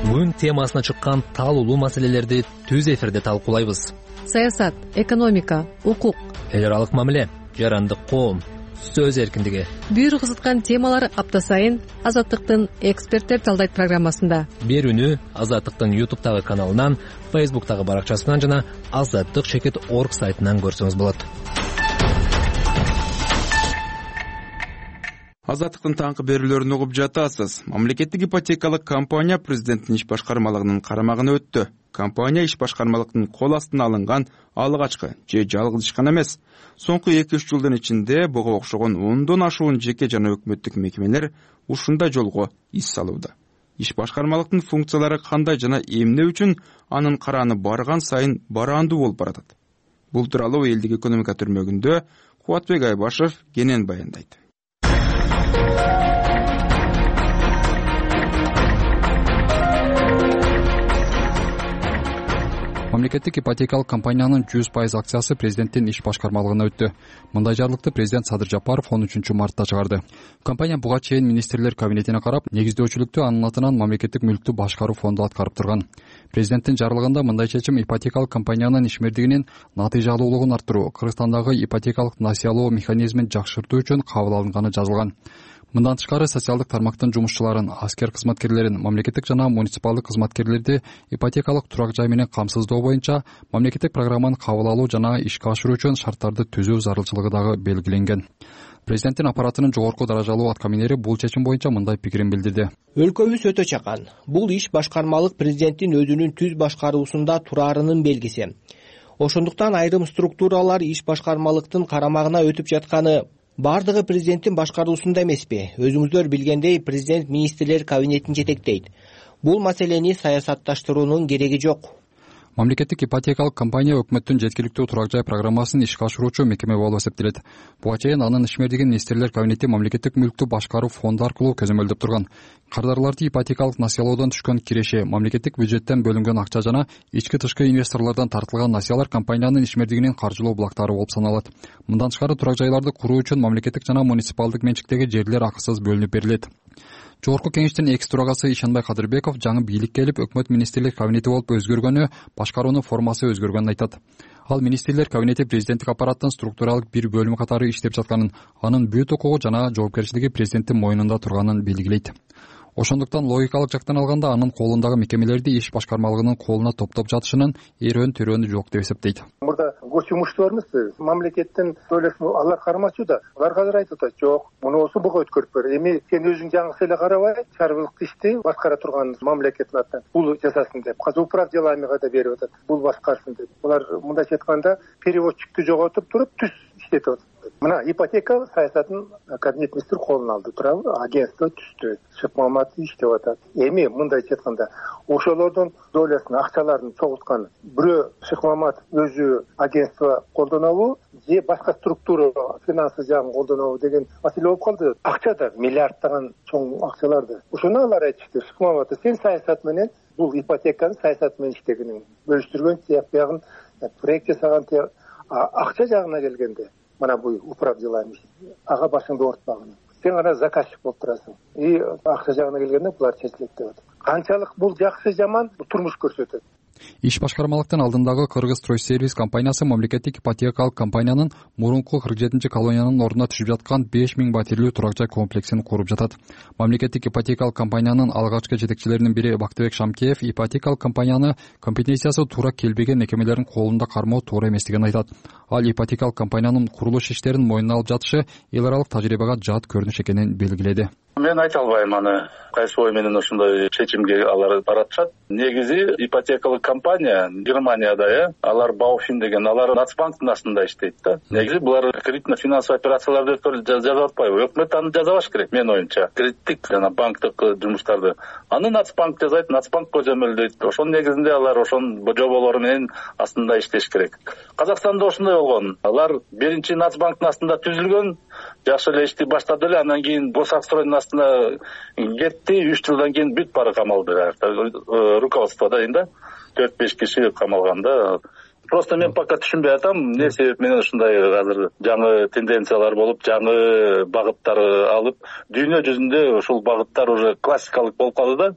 Күн темасына чыккан талуулуу маселелерди түз эфирде талкуулайбыз. Саясат, экономика, укук, эл аралык мамиле, жарандык коом, сөз эркиндиги. Бүйүр кызыткан темалар апта сайын Азаттыктын Эксперттер талдайт программасында. Берүүнү Азаттыктын ютубтагы каналынан, фейсбуктагы баракчасынан жана азаттык чекит точка орг сайтынан көрсөңүз болот. Азаттыктын таңкы берүүлөрүн угуп жатасыз. Мамлекеттик ипотекалык компания президенттин иш башкармалыгынын карамагына өттү. Компания иш башкармалыктын кол астына алынган алгачкы же жалгыз ишкана эмес. Соңку эки үч жылдын ичинде буга окшогон ондон ашуун жеке жана өкмөттүк мекемелер ушундай жолго ис салууда. Иш башкармалыктын функциялары кандай жана эмне үчүн анын карааны барган сайын бараандуу болуп баратат? Бул тууралуу элдик экономика түрмөгүндө Кубатбек Айбашев кенен баяндайт. Мамлекеттик ипотекалык компаниянын жүз пайыз акциясы президенттин иш башкармалыгына өттү. Мындай жарлыкты президент Садыр Жапаров он үчүнчү мартта чыгарды. Компания буга чейин министрлер кабинетине карап, негиздөөчүлүктү анын атынан мамлекеттик мүлктү башкаруу фонду аткарып турган. Президенттин жарлыгында мындай чечим ипотекалык компаниянын ишмердигинин натыйжалуулугун арттыруу, Кыргызстандагы ипотекалык насыялоо механизмин жакшыртуу үчүн кабыл алынганы жазылган. Мындан тышкары социалдык тармактын жумушчуларын, аскер кызматкерлерин, мамлекеттик жана муниципалдык кызматкерлерди ипотекалык турак жай менен камсыздоо боюнча мамлекеттик программаны кабыл алуу жана ишке ашыруу үчүн шарттарды түзүү зарылчылыгы дагы белгиленген. Президенттин аппаратынын жогорку даражалуу аткаминери бул чечим боюнча мындай пикирин билдирди. Өлкөбүз өтө чакан. Бул иш башкармалык президенттин өзүнүн түз башкаруусунда тураарынын белгиси. ошондуктан айрым структуралар иш башкармалыктын карамагына өтүп жатканы. Бардыгы президенттин башкаруусунда эмеспи. Өзүңүздөр билгендей, президент министрлер кабинетин жетектейт. Бул маселени саясатташтыруунун кереги жок. Мамлекеттик ипотекалык компания өкмөттүн жеткиликтүү турак жай программасын ишке ашыруучу мекеме болуп эсептелет. Буга чейин анын ишмердигин министрлер кабинети мамлекеттик мүлктү башкаруу фонду аркылуу көзөмөлдөп турган. Кардарларды ипотекалык насыялоодон түшкөн киреши, мамлекеттик бюджеттен бөлүнгөн акча жана ички-тышкы инвесторлордон тартылган насыялар компаниянын ишмердигинин каржылоо булактары болуп саналат. Мындан тышкары турак жайларды куруу үчүн мамлекеттик жана муниципалдык менчиктеги жерлер акысыз бөлүнүп берилет. Жогорку кеңештин экс төрагасы Ишенбай Кадырбеков жаңы бийлик келип, өкмөт министрлер кабинети болуп өзгөргөнү, башкаруунун формасы өзгөргөнүн айтат. Ал министрлер кабинети президенттик аппараттын структуралык бир бөлүмү катары иштеп жатканын, анын бүт укугу жана жоопкерчилиги президенттин мойнунда турганын белгилейт. Ошондуктан логикалык жактан алганда анын колундагы мекемелерди иш башкармалыгынын колуна топтоп жатышынын эрөөн төрөөнү жок деп эсептейт. Мурда госимущество бармыз, мамлекеттин төлөшүн алар кармачу да. Алар азыр айтып атат, жок, мунусу буга өткөрүп бер. Эми сен өзүң жаңысы эле карабай, чарбылык ишти башкара турган мамлекеттин атынан бул жасасын деп, казыр управ деламига да берип атат. Бул башкарсын деп. Булар мындайча айтканда переводчиктти жоготуп туруп түз иштетип атат. Мына ипотека саясатын кабинет министр колуна алды, туурабы? Агентство түздү. Шыкмамат иштеп атат. Эми мындайча айтканда, ошолордун долясын, акчаларын чогулткан бирөө Шыкмамат өзү агентство колдонобу, же башка структура финансы жагын колдонобу деген маселе болуп калды. Акча да миллиардтаган чоң акчаларды. Ошону алар айтышты. Шыкмамат, сен саясат менен бул ипотеканы саясат менен иштегенин бөлүштүргөн, тияк биягын проект жасаган, акча жагына келгенде мына бул управ делами ага башыңды оорутпагын. Сен гана заказчик болуп турасың. И акча жагына келгенде булар чечилет деп атат. Канчалык бул жакшы жаман турмуш көрсөтөт. Иш башкармалыктын алдындагы Кыргыз Стройсервис компаниясы мамлекеттик ипотекалык компаниянын мурунку кырк жетинчи колониянын ордуна түшүп жаткан беш миң батирлүү турак жай комплексин куруп жатат. Мамлекеттик ипотекалык компаниянын алгачкы жетекчилеринин бири Бактыбек Шамкеев ипотекалык компанияны компетенциясы туура келбеген мекемелердин колунда кармоо туура эместигин айтат. Ал ипотекалык компаниянын курулуш иштерин мойнуна алып жатышы эл аралык тажрыйбага жат көрүнүш экенин белгиледи. Мен айта албайм аны кайсы ой менен ошондой чечимге алар баратышат. Негизи ипотекалык компания Германияда, э, алар Бауфин деген, алар Нацбанктын астында иштейт да. Негизи булар кредитно-финансовый операцияларды жазып атпайбы? Өкмөт аны жазабаш керек, менин оюмча. Кредиттик жана банктык жумуштарды аны Нацбанк жазайт, Нацбанк көзөмөлдөйт. Ошонун негизинде алар ошонун жоболору менен астында иштеш керек. Казакстанда ошондой болгон. Алар биринчи Нацбанктын астында түзүлгөн, жакшы эле ишти баштады эле, андан кийин Босакстройдун астына кетти, үч жылдан кийин бүт баары камалды. Руководстводо да төрт беш киши камалганда. Просто мен пока түшүнбөй атам, эмне себеп менен ушундай азыр жаңы тенденциялар болуп, жаңы багыттар алып, дүйнө жүзүндө ушул багыттар уже классикалык болуп калды да.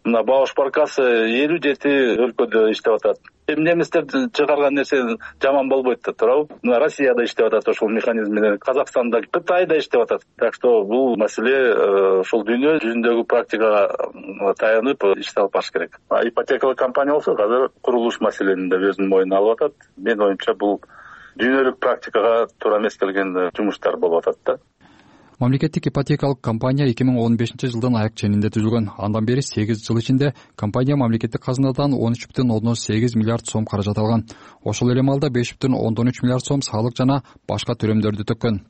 Мына Бауш Баркасы элүү жети өлкөдө иштеп атат. Эми немистер чыгарган нерсе жаман болбойт да, туурабы? Мына Россияда иштеп атат ошол механизм менен, Казакстанда, Кытайда иштеп атат. Так что бул маселе ошол дүйнө жүзүндөгү практикага таянып иштеп алып баш керек. Ипотекалык компания болсо азыр курулуш маселени да өзүнүн мойнуна алып атат. Менин оюмча бул дүйнөлүк практикага туура эмес келген жумуштар болуп атат да. Мамлекеттик ипотекалык компания эки миң он бешинчи жылдын аяк ченинде түзүлгөн. Андан бери сегиз жыл ичинде компания мамлекеттик казынадан он үч бүтүн ондон сегиз миллиард сом каражат алган. Ошол эле маалда беш бүтүн ондон үч миллиард сом салык жана башка төлөмдөрдү төккөн.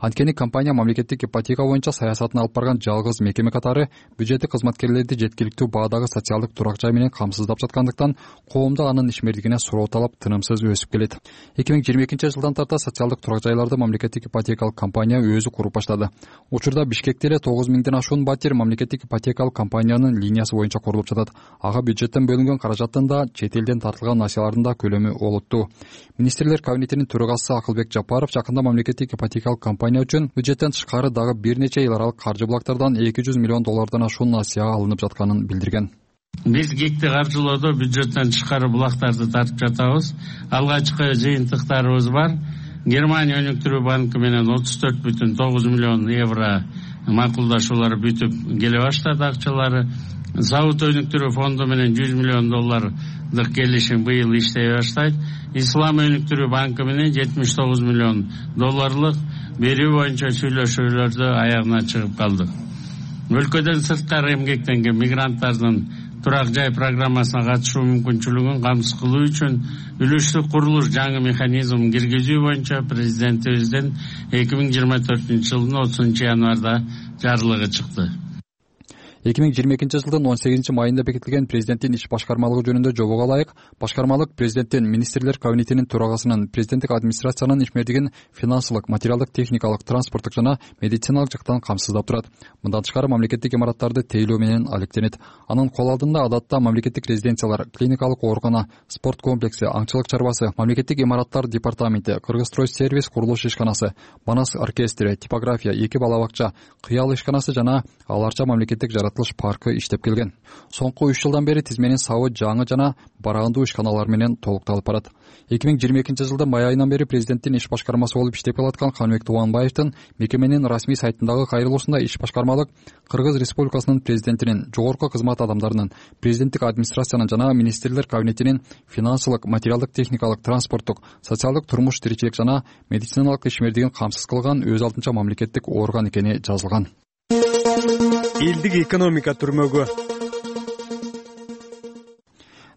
Анткени компания мамлекеттик ипотека боюнча саясатын алып барган жалгыз мекеме катары бюджеттик кызматкерлерди жеткиликтүү баадагы социалдык турак жай менен камсыздап жаткандыктан коомдо анын ишмердигине суроо талап тынымсыз өсүп келет. эки миң жыйырма экинчи жылдан тарта социалдык турак жайларды мамлекеттик ипотекалык компания өзү куруп баштады. Учурда Бишкекте эле тогуз миңден ашуун батир мамлекеттик ипотекалык компаниянын линиясы боюнча курулуп жатат. Ага бюджеттен бөлүнгөн каражаттын да, чет элден тартылган насыялардын да көлөмү олуттуу. Министрлер кабинетинин төрагасы Акылбек Жапаров жакында мамлекеттик ипотекалык компания үчүн бюджеттен тышкары дагы бир нече эл аралык каржы булактардан эки жүз миллион доллардан ашуун насыя алынып жатканын билдирген. Биз ГИКти каржылоодо бюджеттен тышкары булактарды тартып жатабыз. Алгачкы жыйынтыктарыбыз бар. Германия өнүктүрүү банкы менен отуз төрт бүтүн тогуз миллион евро макулдашуулар бүтүп келе баштады акчалары. Завод өнүктүрүү фонду менен жүз миллион доллардык келишим быйыл иштей баштайт. Ислам өнүктүрүү банкы менен жетимиш тогуз миллион долларлык берүү боюнча сүйлөшүүлөрдө аягына чыгып калды. Өлкөдөн сырткары эмгектенген мигранттардын турак жай программасына катышуу мүмкүнчүлүгүн камсыз кылуу үчүн үлүштүк курулуш жаңы механизмин киргизүү боюнча президентибиздин эки миң жыйырма төртүнчү жылдын отузунчу январда жарлыгы чыкты. эки миң жыйырма экинчи жылдын он сегизинчи майында бекитилген президенттин иш башкармалыгы жөнүндө жобого ылайык башкармалык президенттин министрлер кабинетинин төрагасынын президенттик администрациянын ишмердигин финансылык, материалдык, техникалык, транспорттук жана медициналык жактан камсыздап турат. Мындан тышкары мамлекеттик имараттарды тейлөө менен алектенет. Анын кол алдында адатта мамлекеттик резиденциялар, клиникалык оорукана, спорт комплекси, аңчылык чарбасы, мамлекеттик имараттар департаменти, Кыргызстройсервис курулуш ишканасы, Манас оркестри, типография, эки бала бакча, Кыял ишканасы жана аларча мамлекеттик жаратылыш паркы иштеп келген. Соңку үч жылдан бери тизменин сабы жаңы жана барагындуу ишканалар менен толукталып барат. эки миң жыйырма экинчи жылдын май айынан бери президенттин иш башкармасы болуп иштеп келаткан Каныбек Тубанбаевдин мекеменин расмий сайтындагы кайрылуусунда иш башкармалык Кыргыз Республикасынын президентинин, жогорку кызмат адамдарынын, президенттик администрациянын жана министрлер кабинетинин финансылык, материалдык, техникалык, транспорттук, социалдык, турмуш тиричилик жана медициналык ишмердигин камсыз кылган өз алдынча мамлекеттик орган экени жазылган. Элдик экономика түрмөгү.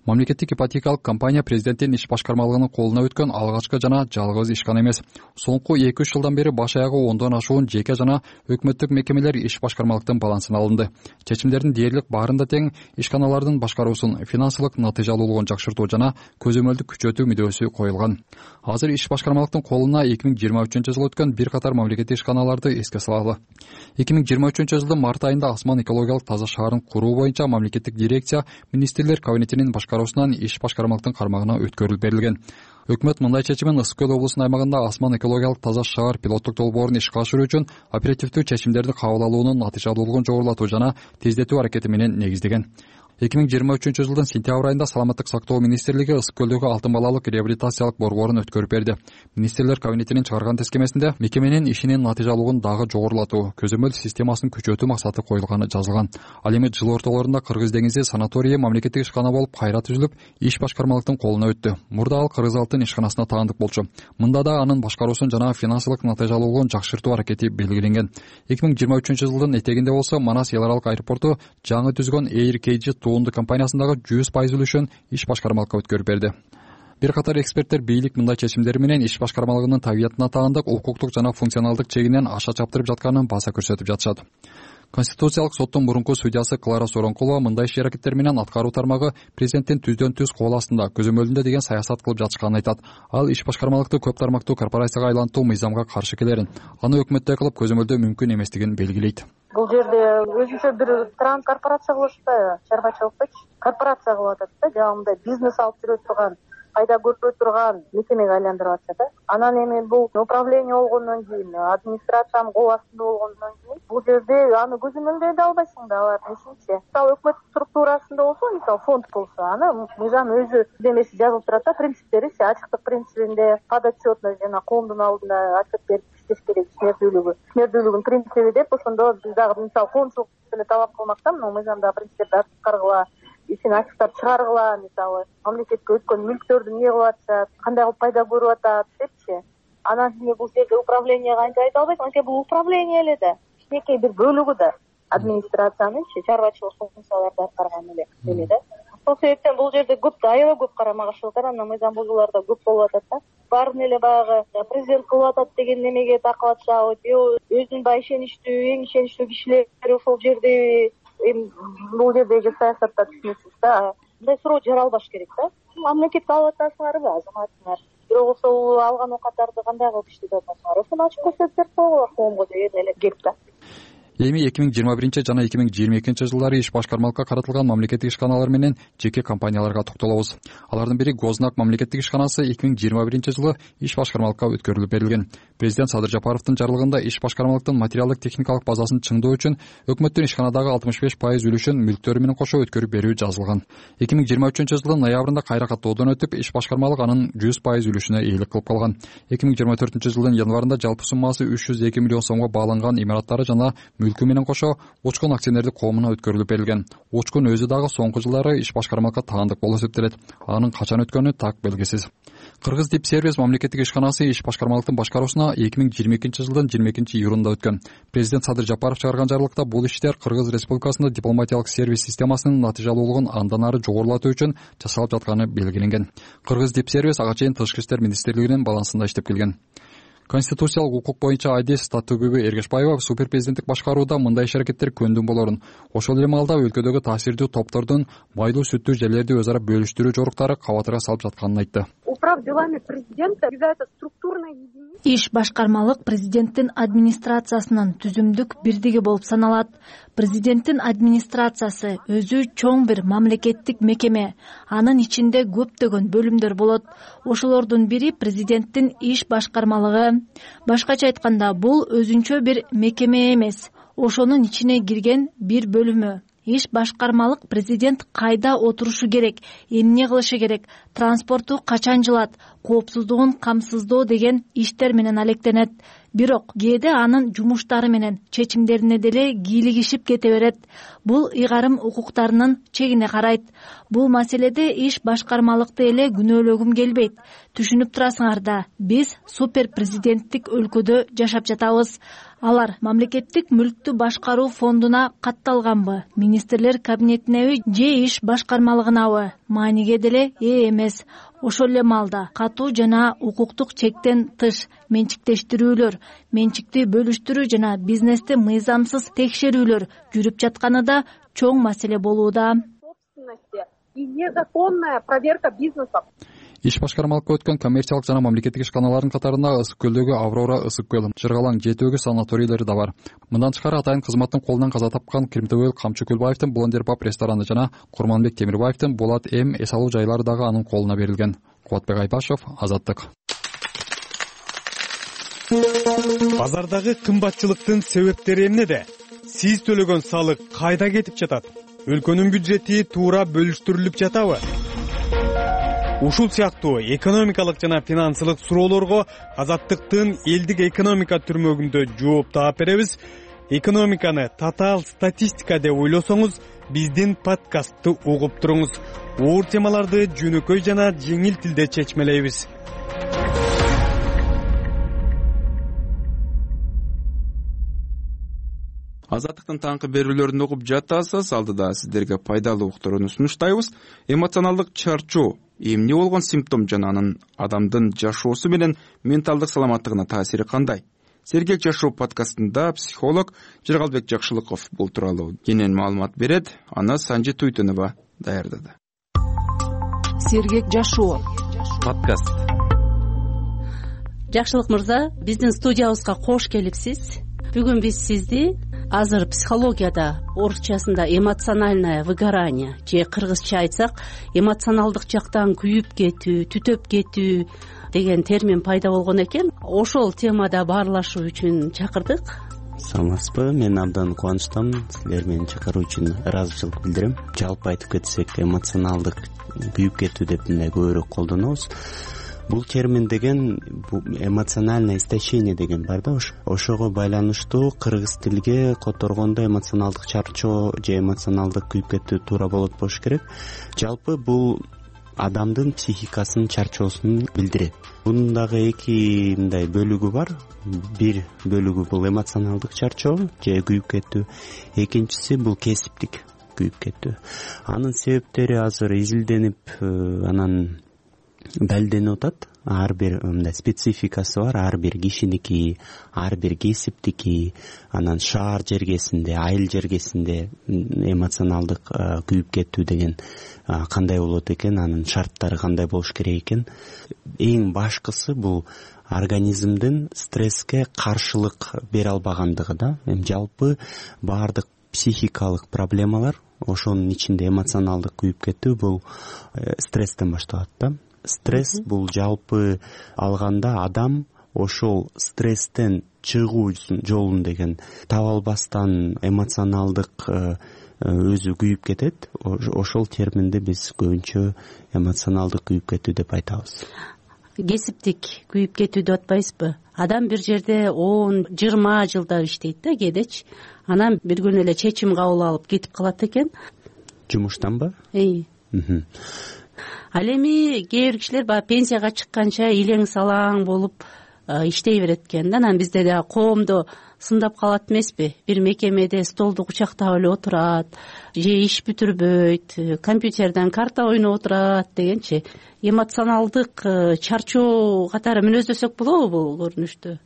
Мамлекеттик ипотекалык компания президенттин иш башкармалыгынын колуна өткөн алгачкы жана жалгыз ишкана эмес. Соңку эки үч жылдан бери баш аягы ондон ашуун жеке жана өкмөттүк мекемелер иш башкармалыктын балансына алынды. Чечимдердин дээрлик баарында тең ишканалардын башкаруусун финансылык натыйжалуулугун жакшыртуу жана көзөмөлдү күчөтүү мүдөөсү коюлган. Азыр иш башкармалыктын колуна эки миң жыйырма үчүнчү жылы өткөн бир катар мамлекеттик ишканаларды эске салалы. эки миң жыйырма үчүнчү жылдын март айында Асман экологиялык таза шаарын куруу боюнча мамлекеттик дирекция министрлер кабинетинин башкаруусунан иш башкармалыктын кармагына өткөрүлүп берилген. Өкмөт мындай чечимин Ысык көл облусунун аймагында Асман экологиялык таза шаар пилоттук долбоорун ишке ашыруу үчүн оперативдүү чечимдерди кабыл алуунун натыйжалуулугун жогорулатуу жана тездетүү аракети менен негиздеген. эки миң жыйырма үчүнчү жылдын сентябрь айында Саламаттык сактоо министрлиги Ысык көлдөгү алтын балалык реабилитациялык борборун өткөрүп берди. Министрлер кабинетинин чыгарган тескемесинде мекеменин ишинин натыйжалуулугун дагы жогорулатуу, көзөмөл системасын күчөтүү максаты коюлганы жазылган. Ал эми жыл ортолорунда Кыргыз деңизи санаторийи мамлекеттик ишкана болуп кайра түзүлүп, иш башкармалыктын колуна өттү. Мурда ал Кыргыз алтын ишканасына таандык болчу. Мында да анын башкаруусун жана финансылык натыйжалуулугун жакшыртуу аракети белгиленген. эки миң жыйырма үчүнчү жылдын этегинде болсо Манас эл аралык аэропорту жаңы түзгөн Air кей джи туунду компаниясындагы жүз пайыз үлүшүн иш башкармалыкка өткөрүп берди. Бир катар эксперттер бийлик мындай чечимдери менен иш башкармалыгынын табиятына таандык, укуктук жана функционалдык чегинен аша чаптырып жатканын баса көрсөтүп жатышат. Конституциялык соттун мурунку судьясы Клара Соронкулова мындай иш аракеттер менен аткаруу тармагы президенттин түздөн түз кол астында, көзөмөлүндө деген саясат кылып жатышканын айтат. Ал иш башкармалыкты көп тармактуу корпорацияга айлантуу мыйзамга каршы келерин, аны өкмөттөй кылып көзөмөлдөө мүмкүн эместигин белгилейт. Бул жерде өзүнчө бир транскорпорация кылып атпайбы, чарбачылыкты корпорация кылып атат да, жагымда бизнес алып жүрө турган, пайда көрпөй турган мекемеге айландырып атышат да. Анан эми бул управление болгондон кийин, администрациянын кол астында болгондон кийин бул жерде аны көзөмөлдөй да албайсың да, алар несинчи. Мисалы өкмөт структурасында болсо, мисалы фонд болсо, аны мыйзам өзү демеси жазылып турат да, принциптери, ачыктык принцибинде, подотчетность жана коомдун алдында отчет берип иштеш керек, ишмердүүлүгү, ишмердүүлүгүнүн принциби деп, ошондо биз дагы мисалы коомчулук деле талап кылмакта, мына мыйзамдагы принциптерди аткаргыла, ишин ачыктап чыгаргыла, мисалы мамлекетке өткөн мүлктөрдү эмне кылып атышат, кандай кылып пайда көрүп атат депчи. Анан кийин бул жерде управленияга антип айта албайсың, анткени бул управление эле да, кичинекей бир бөлүгү да администрациянынчы чарбачылык функцияларды аткарган эле эле да. Ошол себептен бул жерде көп да, аябай көп карама каршылыктар, анан мыйзам бузуулар да көп болуп атат да. Баарын эле баягы президент кылып атат деген немеге такылып атышабы, же өзүнүн баягы ишеничтүү, эң ишеничтүү кишилери ошол жерде, эми бул жердеги саясатта түшүнөсүз да. Мындай суроо жаралбаш керек да. Мамлекетке алып атасыңарбы, азаматыңар? Бирок болсо алган оокаттарды кандай кылып иштетип атасыңар? Ошону ачык көрсөтүп берип койгула коомго деген эле кеп да. Эми эки миң жыйырма биринчи жана эки миң жыйырма экинчи жылдары иш башкармалыкка каратылган мамлекеттик ишканалар менен жеке компанияларга токтолобуз. Алардын бири Гознак мамлекеттик ишканасы эки миң жыйырма биринчи жылы иш башкармалыкка өткөрүлүп берилген. Президент Садыр Жапаровдун жарлыгында иш башкармалыктын материалдык техникалык базасын чыңдоо үчүн өкмөттүн ишканадагы алтымыш беш пайыз үлүшүн мүлктөрү менен кошо өткөрүп берүү жазылган. эки миң жыйырма үчүнчү жылдын ноябрында кайра каттоодон өтүп, иш башкармалык анын жүз пайыз үлүшүнө ээлик кылып калган. эки миң жыйырма төртүнчү жылдын январында жалпы суммасы үч жүз эки миллион сомго бааланган имараттары жана мүлкү менен кошо Учкун акционердик коомуна өткөрүлүп берилген. Учкун өзү дагы соңку жылдары иш башкармалыкка таандык болуп эсептелет. Анын качан өткөнү так белгисиз. Кыргыз Дип Сервис мамлекеттик ишканасы иш башкармалыктын башкаруусуна эки миң жыйырма экинчи жылдын жыйырма экинчи июлунда өткөн. Президент Садыр Жапаров чыгарган жарлыкта бул иштер Кыргыз Республикасында дипломатиялык сервис системасынын натыйжалуулугун андан ары жогорулатуу үчүн жасалып жатканы белгиленген. Кыргыз Дип Сервис ага чейин Тышкы иштер министрлигинин балансында иштеп келген. Конституциялык укук боюнча Айдес Татыгүбү Эргешбаева супер президенттик башкарууда мындай иш-аракеттер көндүм болорун, ошол эле маалда өлкөдөгү таасирдүү топтордун майлуу сүттүү жерлерди өз ара бөлүштүрүү жоруктары кабатырга салып жатканын айтты. Управ делами президента является структурной единицей. Иш башкармалык президенттин администрациясынын түзүмдүк бирдиги болуп саналат. Президенттин администрациясы өзү чоң бир мамлекеттик мекеме. Анын ичинде көптөгөн бөлүмдөр болот. Ошолордун бири президенттин иш башкармалыгы. Башкача айтканда, бул өзүнчө бир мекеме эмес. Ошонун ичине кирген бир бөлүмү. Иш башкармалык президент кайда отурушу керек, эмне кылышы керек, транспорту качан жылат, коопсуздугун камсыздоо деген иштер менен алектенет. Бирок кээде анын жумуштары менен чечимдерине деле кийлигишип кете берет. Бул ыйгарым укуктарынын чегине карайт. Бул маселеде иш башкармалыкты эле күнөөлөгүм келбейт. Түшүнүп турасыңар да, биз супер президенттик өлкөдө жашап жатабыз. Алар мамлекеттик мүлктү башкаруу фондуна катталганбы, министрлер кабинетинеби же иш башкармалыгынабы мааниге деле ээ эмес. Ошол эле маалда катуу жана укуктук чектен тыш менчиктештирүүлөр, менчикти бөлүштүрүү жана бизнести мыйзамсыз текшерүүлөр жүрүп жатканы да чоң маселе болууда. И незаконная проверка бизнеса. Иш башкармалыкка өткөн коммерциялык жана мамлекеттик ишканалардын катарында Ысык көлдөгү Аврора ысык көл, Жыргалаң жети-өгүз санаторийлери да бар. Мындан тышкары атайын кызматтын колунан каза тапкан Кримтөбөл Камчы Көлбаевдин Блондер паб рестораны жана Курманбек Темирбаевдин Болот М эс алуу жайлары дагы анын колуна берилген. Кубатбек Айпашев, Азаттык. Базардагы кымбатчылыктын себептери эмнеде? Сиз төлөгөн салык кайда кетип жатат? Өлкөнүн бюджети туура бөлүштүрүлүп жатабы? Ушул сыяктуу экономикалык жана финансылык суроолорго Азаттыктын элдик экономика түрмөгүндө жооп таап беребиз. Экономиканы татаал статистика деп ойлосоңуз, биздин подкастты угуп туруңуз. Оор темаларды жөнөкөй жана жеңил тилде чечмелейбиз. Азаттыктын таңкы берүүлөрүн угуп жатасыз. Алдыда сиздерге пайдалуу уктурууну сунуштайбыз. Эмоционалдык чарчоо эмне болгон симптом жана анын адамдын жашоосу менен менталдык саламаттыгына таасири кандай? Сергек жашоо подкастында психолог Жыргалбек Жакшылыков бул тууралуу кенен маалымат берет. Аны Санжи Туйтунова даярдады. Сергек жашоо подкаст. Жакшылык мырза, биздин студиябызга кош келипсиз. Бүгүн биз сизди азыр психологияда орусчасында эмоциональное выгорание же кыргызча айтсак эмоционалдык жактан күйүп кетүү, түтөп кетүү деген термин пайда болгон экен. Ошол темада баарлашуу үчүн чакырдык. Саламатсызбы? Мен абдан кубанычтамын. Силер мени чакыруу үчүн ыраазычылык билдирем. Жалпы айтып кетсек, эмоционалдык күйүп кетүү деп мындай көбүрөөк колдонобуз. Бул термин деген эмоциональное истощение деген бар да, ошого байланыштуу кыргыз тилге которгондо эмоционалдык чарчоо же эмоционалдык күйүп кетүү туура болот болуш керек. Жалпы бул адамдын психикасынын чарчоосун билдирет. Бунун дагы эки мындай бөлүгү бар. Бир бөлүгү бул эмоционалдык чарчоо же күйүп кетүү, экинчиси бул кесиптик күйүп кетүү. Анын себептери азыр изилденип, анан далилденип атат. Ар бир мындай спецификасы бар, ар бир кишиники, ар бир кесиптики, анан шаар жергесинде, айыл жергесинде эмоционалдык күйүп кетүү деген кандай болот экен, анын шарттары кандай болуш керек экен. Эң башкысы бул организмдин стресске каршылык бере албагандыгы да. Эми жалпы баардык психикалык проблемалар, ошонун ичинде эмоционалдык күйүп кетүү бул стресстен башталат да. Стресс бул жалпы алганда адам ошол стресстен чыгуу жолун деген таба албастан эмоционалдык өзү күйүп кетет. Ошол терминди биз көбүнчө эмоционалдык күйүп кетүү деп айтабыз. Кесиптик күйүп кетүү деп атпайсызбы? Адам бир жерде он жыйырма жылда иштейт да кээдечи. Анан бир күнү эле чечим кабыл алып кетип калат экен. Жумуштанбы? Эй. ал эми кээ бир кишилер баягы пенсияга чыкканча илең салаң болуп иштей берет экен да. Анан бизде дагы коомдо сындап калат эмеспи? Бир мекемеде столду кучактап эле отурат, же иш бүтүрбөйт, компьютерден карта ойноп отурат дегенчи. Эмоционалдык чарчоо катары мүнөздөсөк болобу бул көрүнүштү?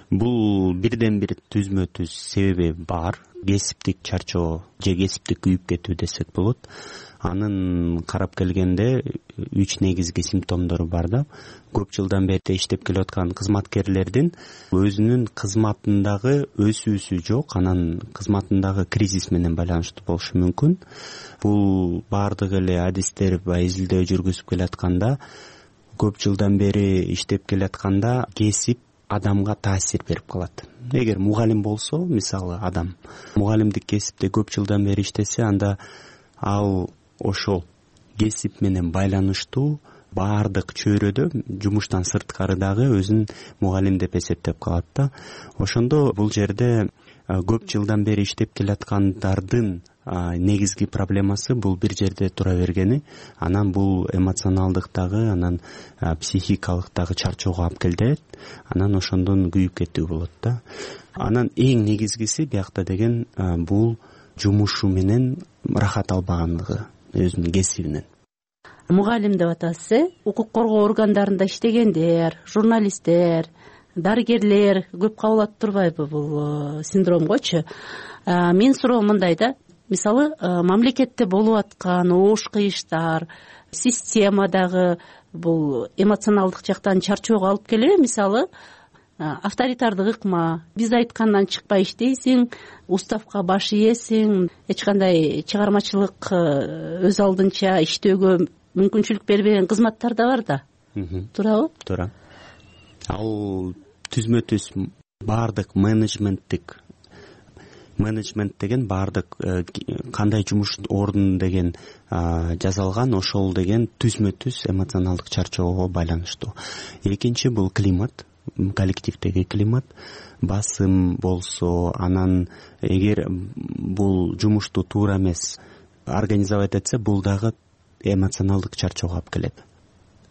Бул бирден бир түзмө түз себеби бар. Кесиптик чарчоо же кесиптик күйүп кетүү десек болот. Анын карап келгенде үч негизги симптомдору бар да. Көп жылдан бери иштеп келе аткан кызматкерлердин өзүнүн кызматындагы өсүүсү жок, анан кызматындагы кризис менен байланыштуу болушу мүмкүн. Бул баардык эле адистер баягы изилдөө жүргүзүп келе атканда, көп жылдан бери иштеп келе атканда кесип адамга таасир берип калат. Эгер мугалим болсо, мисалы адам мугалимдик кесипте көп жылдан бери иштесе, анда ал ошол кесип менен байланыштуу баардык чөйрөдө жумуштан сырткарыдагы өзүн мугалим деп эсептеп калат да. Ошондо бул жерде көп жылдан бери иштеп келаткандардын негизги проблемасы бул бир жерде тура бергени, анан бул эмоционалдыктагы, анан психикалыктагы чарчоого алып келет, анан ошондон күйүп кетүү болот да. Анан эң негизгиси биякта деген бул жумушу менен рахат албагандыгы, өзүнүн кесибинен. Мугалим деп атасыз, э? Укук коргоо органдарында иштегендер, журналисттер, дарыгерлер көп кабылат турбайбы бул синдромгочу? Менин суроом мындай да. Мисалы, мамлекетте болуп аткан оош кыйыштар, системадагы бул эмоционалдык жактан чарчоого алып келеби? Мисалы, авторитардык ыкма, биз айткандан чыкпай иштейсиң, уставка баш ийесиң, эч кандай чыгармачылык өз алдынча иштөөгө мүмкүнчүлүк бербеген кызматтар да бар да. Туурабы? Туура. Ал түзмө түз баардык менеджменттик менеджмент деген баардык кандай жумуш ордун деген жазалган, ошол деген түзмө түз эмоционалдык чарчоого байланыштуу. Экинчи бул климат, коллективдеги климат, басым болсо, анан эгер бул жумушту туура эмес организовать этсе, бул дагы эмоционалдык чарчоого алып келет.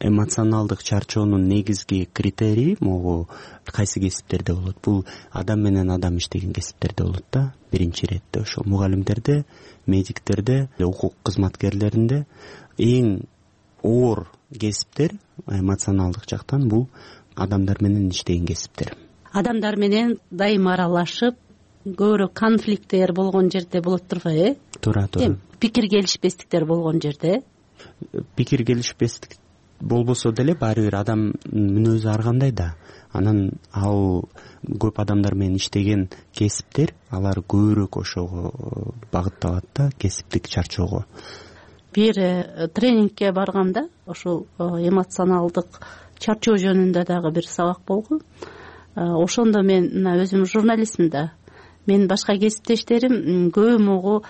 Эмоционалдык чарчоонун негизги критерии могу кайсы кесиптерде болот? Бул адам менен адам иштеген кесиптерде болот да. Биринчи иретте ошол мугалимдерде, медиктерде, укук кызматкерлеринде эң оор кесиптер эмоционалдык жактан бул адамдар менен иштеген кесиптер. Адамдар менен дайыма аралашып, көбүрөөк конфликттер болгон жерде болот турбайбы, э? Туура, туура. Пикир келишпестиктер болгон жерде. Пикир келишпестик болбосо деле баары бир адам мүнөзү ар кандай да. Анан ал көп адамдар менен иштеген кесиптер, алар көбүрөөк ошого багытталат да, кесиптик чарчоого. Бир тренингке барганда ошол эмоционалдык чарчоо жөнүндө дагы бир сабак болгон. Ошондо мен өзүм журналистмин да. Менин башка кесиптештерим көбү могу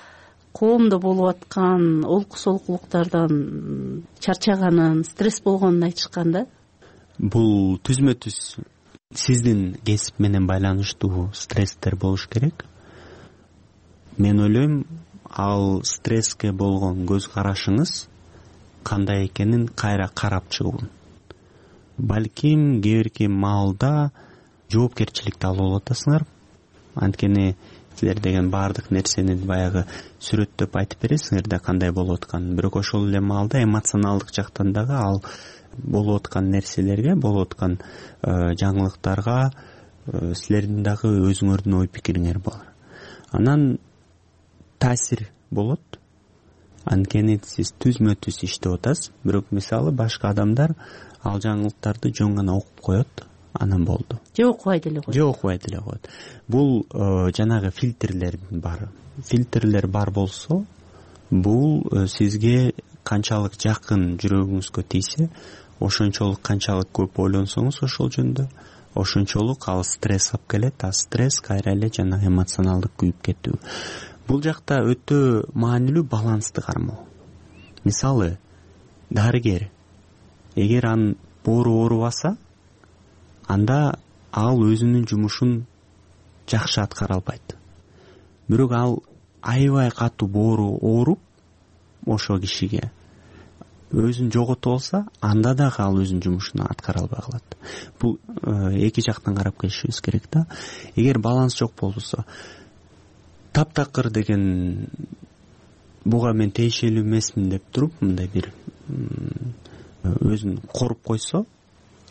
коомдо болуп аткан олку солкулуктардан чарчаганын, стресс болгонун айтышкан да. Бул түзмө түз сиздин кесип менен байланыштуу стресстер болуш керек. Мен ойлойм, ал стресске болгон көз карашыңыз кандай экенин кайра карап чыгуу. Балким кээ бирки маалда жоопкерчиликти алып атасыңар. Анткени силер деген баардык нерсени баягы сүрөттөп айтып бересиңер да кандай болуп атканын. Бирок ошол эле маалда эмоционалдык жактан дагы ал болуп аткан нерселерге, болуп аткан жаңылыктарга силердин дагы өзүңөрдүн ой пикириңер бар. Анан таасир болот. Анткени сиз түзмө түз иштеп атасыз, бирок мисалы башка адамдар ал жаңылыктарды жөн гана окуп коет, анан болду. Же окубай деле коет. Же окубай деле коет. Бул жанагы фильтрлер бар. Фильтрлер бар болсо, бул сизге канчалык жакын жүрөгүңүзгө тийсе, ошончолук канчалык көп ойлонсоңуз ошол жөнүндө, ошончолук ал стресс алып келет, а стресс кайра эле жана эмоционалдык күйүп кетүү. Бул жакта өтө маанилүү балансты кармоо. Мисалы, дарыгер эгер анын боору оорубаса, анда ал өзүнүн жумушун жакшы аткара албайт. Бирок ал аябай катуу боору ооруп ошол кишиге өзүн жоготуп алса, анда дагы ал өзүнүн жумушун аткара албай калат. Бул эки жактан карап келишибиз керек да. Эгер баланс жок болсо, таптакыр деген буга мен тиешелүү эмесмин деп туруп, мындай бир өзүн коруп койсо,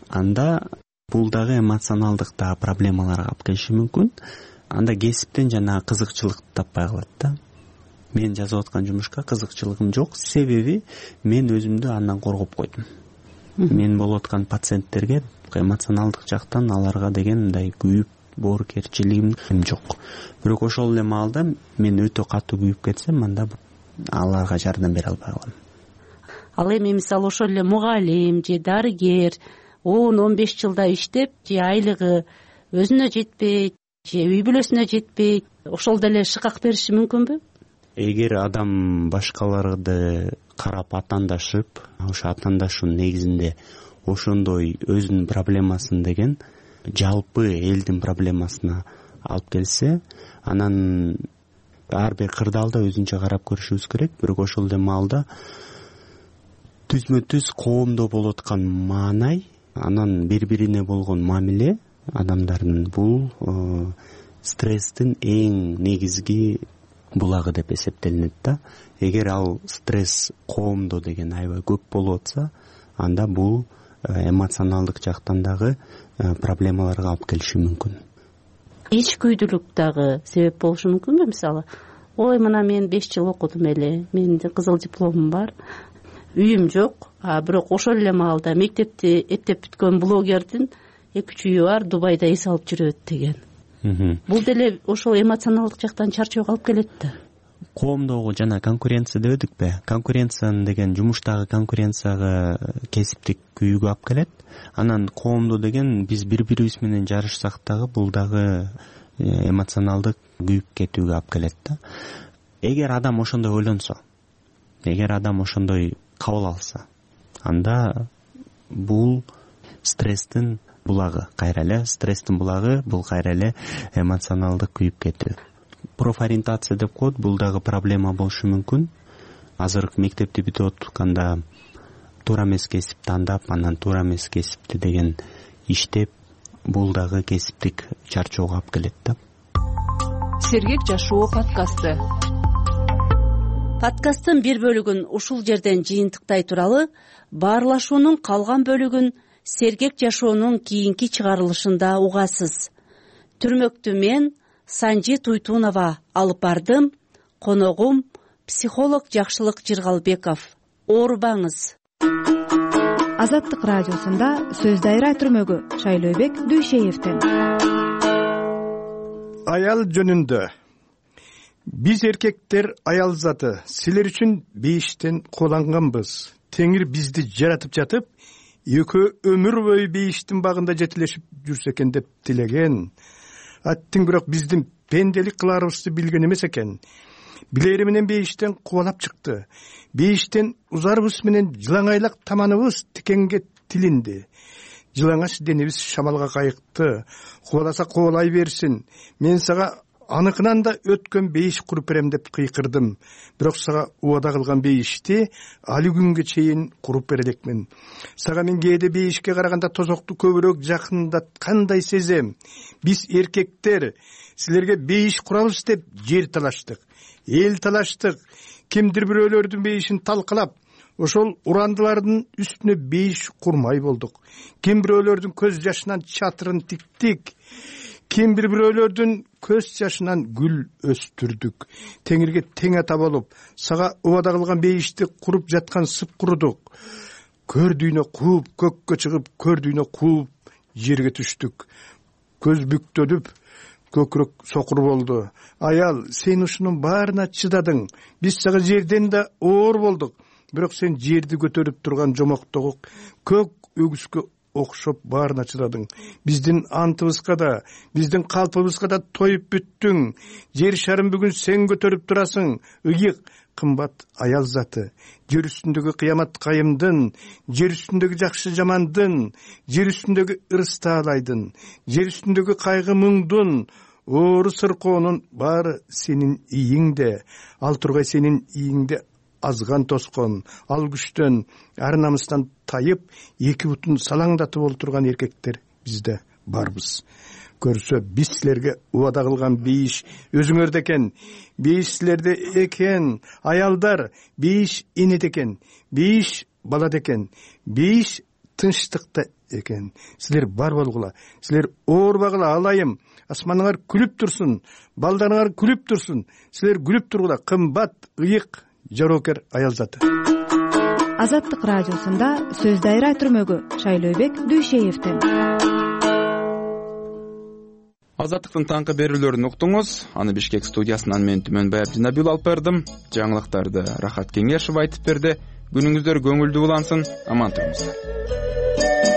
анда бул дагы эмоционалдык да проблемаларга алып келиши мүмкүн. Анда кесиптен жана кызыкчылык таппай калат да. Мен жазып аткан жумушка кызыкчылыгым жок, себеби мен өзүмдү андан коргоп койдум. Мен болуп аткан пациенттерге эмоционалдык жактан аларга деген мындай күйүп боорукерчилигим жок. Бирок ошол эле маалда мен өтө катуу күйүп кетсем, анда аларга жардам бере албай калам. Ал эми мисалы ошол эле мугалим же дарыгер он он беш жылда иштеп, же айлыгы өзүнө жетпейт, же үй бүлөсүнө жетпейт, ошол деле шыкак бериши мүмкүнбү? Эгер адам башкаларды карап атандашып, ошо атандашуунун негизинде ошондой өзүнүн проблемасын деген жалпы элдин проблемасына алып келсе, анан ар бир кырдаалда өзүнчө карап көрүшүбүз керек. Бирок ошол эле маалда түзмө түз коомдо болуп аткан маанай, анан бири-бирине болгон мамиле адамдардын бул стресстин эң негизги булагы деп эсептелинет да. Эгер ал стресс коомдо деген аябай көп болуп атса, анда бул эмоционалдык жактан дагы проблемаларга алып келиши мүмкүн. Ичкүйдүүлүк дагы себеп болушу мүмкүнбү? Мисалы, ой, мына мен беш жыл окудум эле, менин кызыл дипломум бар, үйүм жок, а бирок ошол эле маалда мектепти эптеп бүткөн блогердин эки үч үйү бар, Дубайда эс алып жүрөт деген. Бул деле ошол эмоционалдык жактан чарчоого алып келет да. Коомдогу жана конкуренция дебедикпи? Конкуренция деген жумуштагы конкуренцияга кесиптик күйүүгө алып келет. Анан коомдо деген биз бири-бирибиз менен жарышсак дагы бул дагы эмоционалдык күйүп кетүүгө алып келет да. Эгер адам ошондой ойлонсо, эгер адам ошондой кабыл алса, анда бул стресстин булагы, кайра эле стресстин булагы, бул кайра эле эмоционалдык күйүп кетүү. Профориентация деп коет, бул дагы проблема болушу мүмкүн. Азыр мектепти бүтүп атканда туура эмес кесип тандап, анан туура эмес кесипти деген иштеп, бул дагы кесиптик чарчоого алып келет да. Сергек жашоо подкасты. Подкасттын бир бөлүгүн ушул жерден жыйынтыктай туралы, баарлашуунун калган бөлүгүн Сергек жашоонун кийинки чыгарылышында угасыз. Түрмөктү мен, Санжи Туйтунова алып бардым. Коногум психолог Жакшылык Жыргалбеков. Оорубаңыз. Азаттык радиосунда сөз дайра түрмөгү Шайлообек Дүйшеевден. Аял жөнүндө. Биз эркектер аял заты, силер үчүн бейиштен кууланганбыз. Теңир бизди жаратып жатып, экөө өмүр бою бейиштин багында жетилешип жүрсө экен деп тилеген. Аттың бирок биздин пенделик кыларыбызды билген эмес экен. Билери менен бейиштен кубалап чыкты. Бейиштен узарыбыз менен жылаңайлак таманыбыз тикенге тилинди. Жылаңач денебиз шамалга кайыкты. Кубаласа кубалай берсин. Мен сага аныкынан да өткөн бейиш куруп берем деп кыйкырдым. Бирок сага убада кылган бейишти али күнгө чейин куруп бере элекмин. Сага мен кээде бейишке караганда тозокту көбүрөөк жакындаткандай сезем. Биз эркектер силерге бейиш курабыз деп жер талаштык, эл талаштык. Кимдир бирөөлөрдүн бейишин талкалап, ошол урандылардын үстүнө бейиш курмай болдук. Ким бирөөлөрдүн көз жашынан чатырын тиктик. Ким бир бирөөлөрдүн көз жашынан гүл өстүрдүк. Теңирге тең ата болуп, сага убада кылган бейишти куруп жаткан сыпкурудук. Көрдүйнө кууп, көккө чыгып, көрдүйнө кууп, жерге түштүк. Көз бүктөлүп, көкүрөк сокур болду. Аял, сен ушунун баарына чыдадың. Биз сага жерден да оор болдук. Бирок сен жерди көтөрүп турган жомоктогу көк өгүзгө окшоп баарына чыдадың. Биздин антыбызга да, биздин калпыбызга да тоюп бүттүң. Жер шарын бүгүн сен көтөрүп турасың. Ыйык, кымбат аял заты. Жер үстүндөгү кыямат кайымдын, жер үстүндөгү жакшы жамандын, жер үстүндөгү ырыс таалайдын, жер үстүндөгү кайгы муңдун, оору сыркоонун баары сенин ийиңде. Ал тургай сенин ийиңде азган тоскон, ал күчтөн, ар намыстан тайып, эки бутун салаңдатып олтурган эркектер бизде барбыз. Көрсө биз силерге убада кылган бейиш өзүңөрдө экен. Бейиш силерде экен. Аялдар, бейиш энеде экен. Бейиш балада экен. Бейиш тынчтыкта экен. Силер бар болгула. Силер оорбагыла, алайым. Асманыңар күлүп турсун. Балдарыңар күлүп турсун. Силер күлүп тургула. Кымбат, ыйык, жоокер аял заты. Азаттык радиосунда сөз дайра түрмөгү Шайлообек Дүйшеевден. Азаттыктын таңкы берүүлөрүн уктуңуз. Аны Бишкек студиясынан мен Түмөнбай Абдинабил алып бардым. Жаңылыктарды Рахат Кеңешов айтып берди. Күнүңүздөр көңүлдүү улансын. Аман туруңуздар.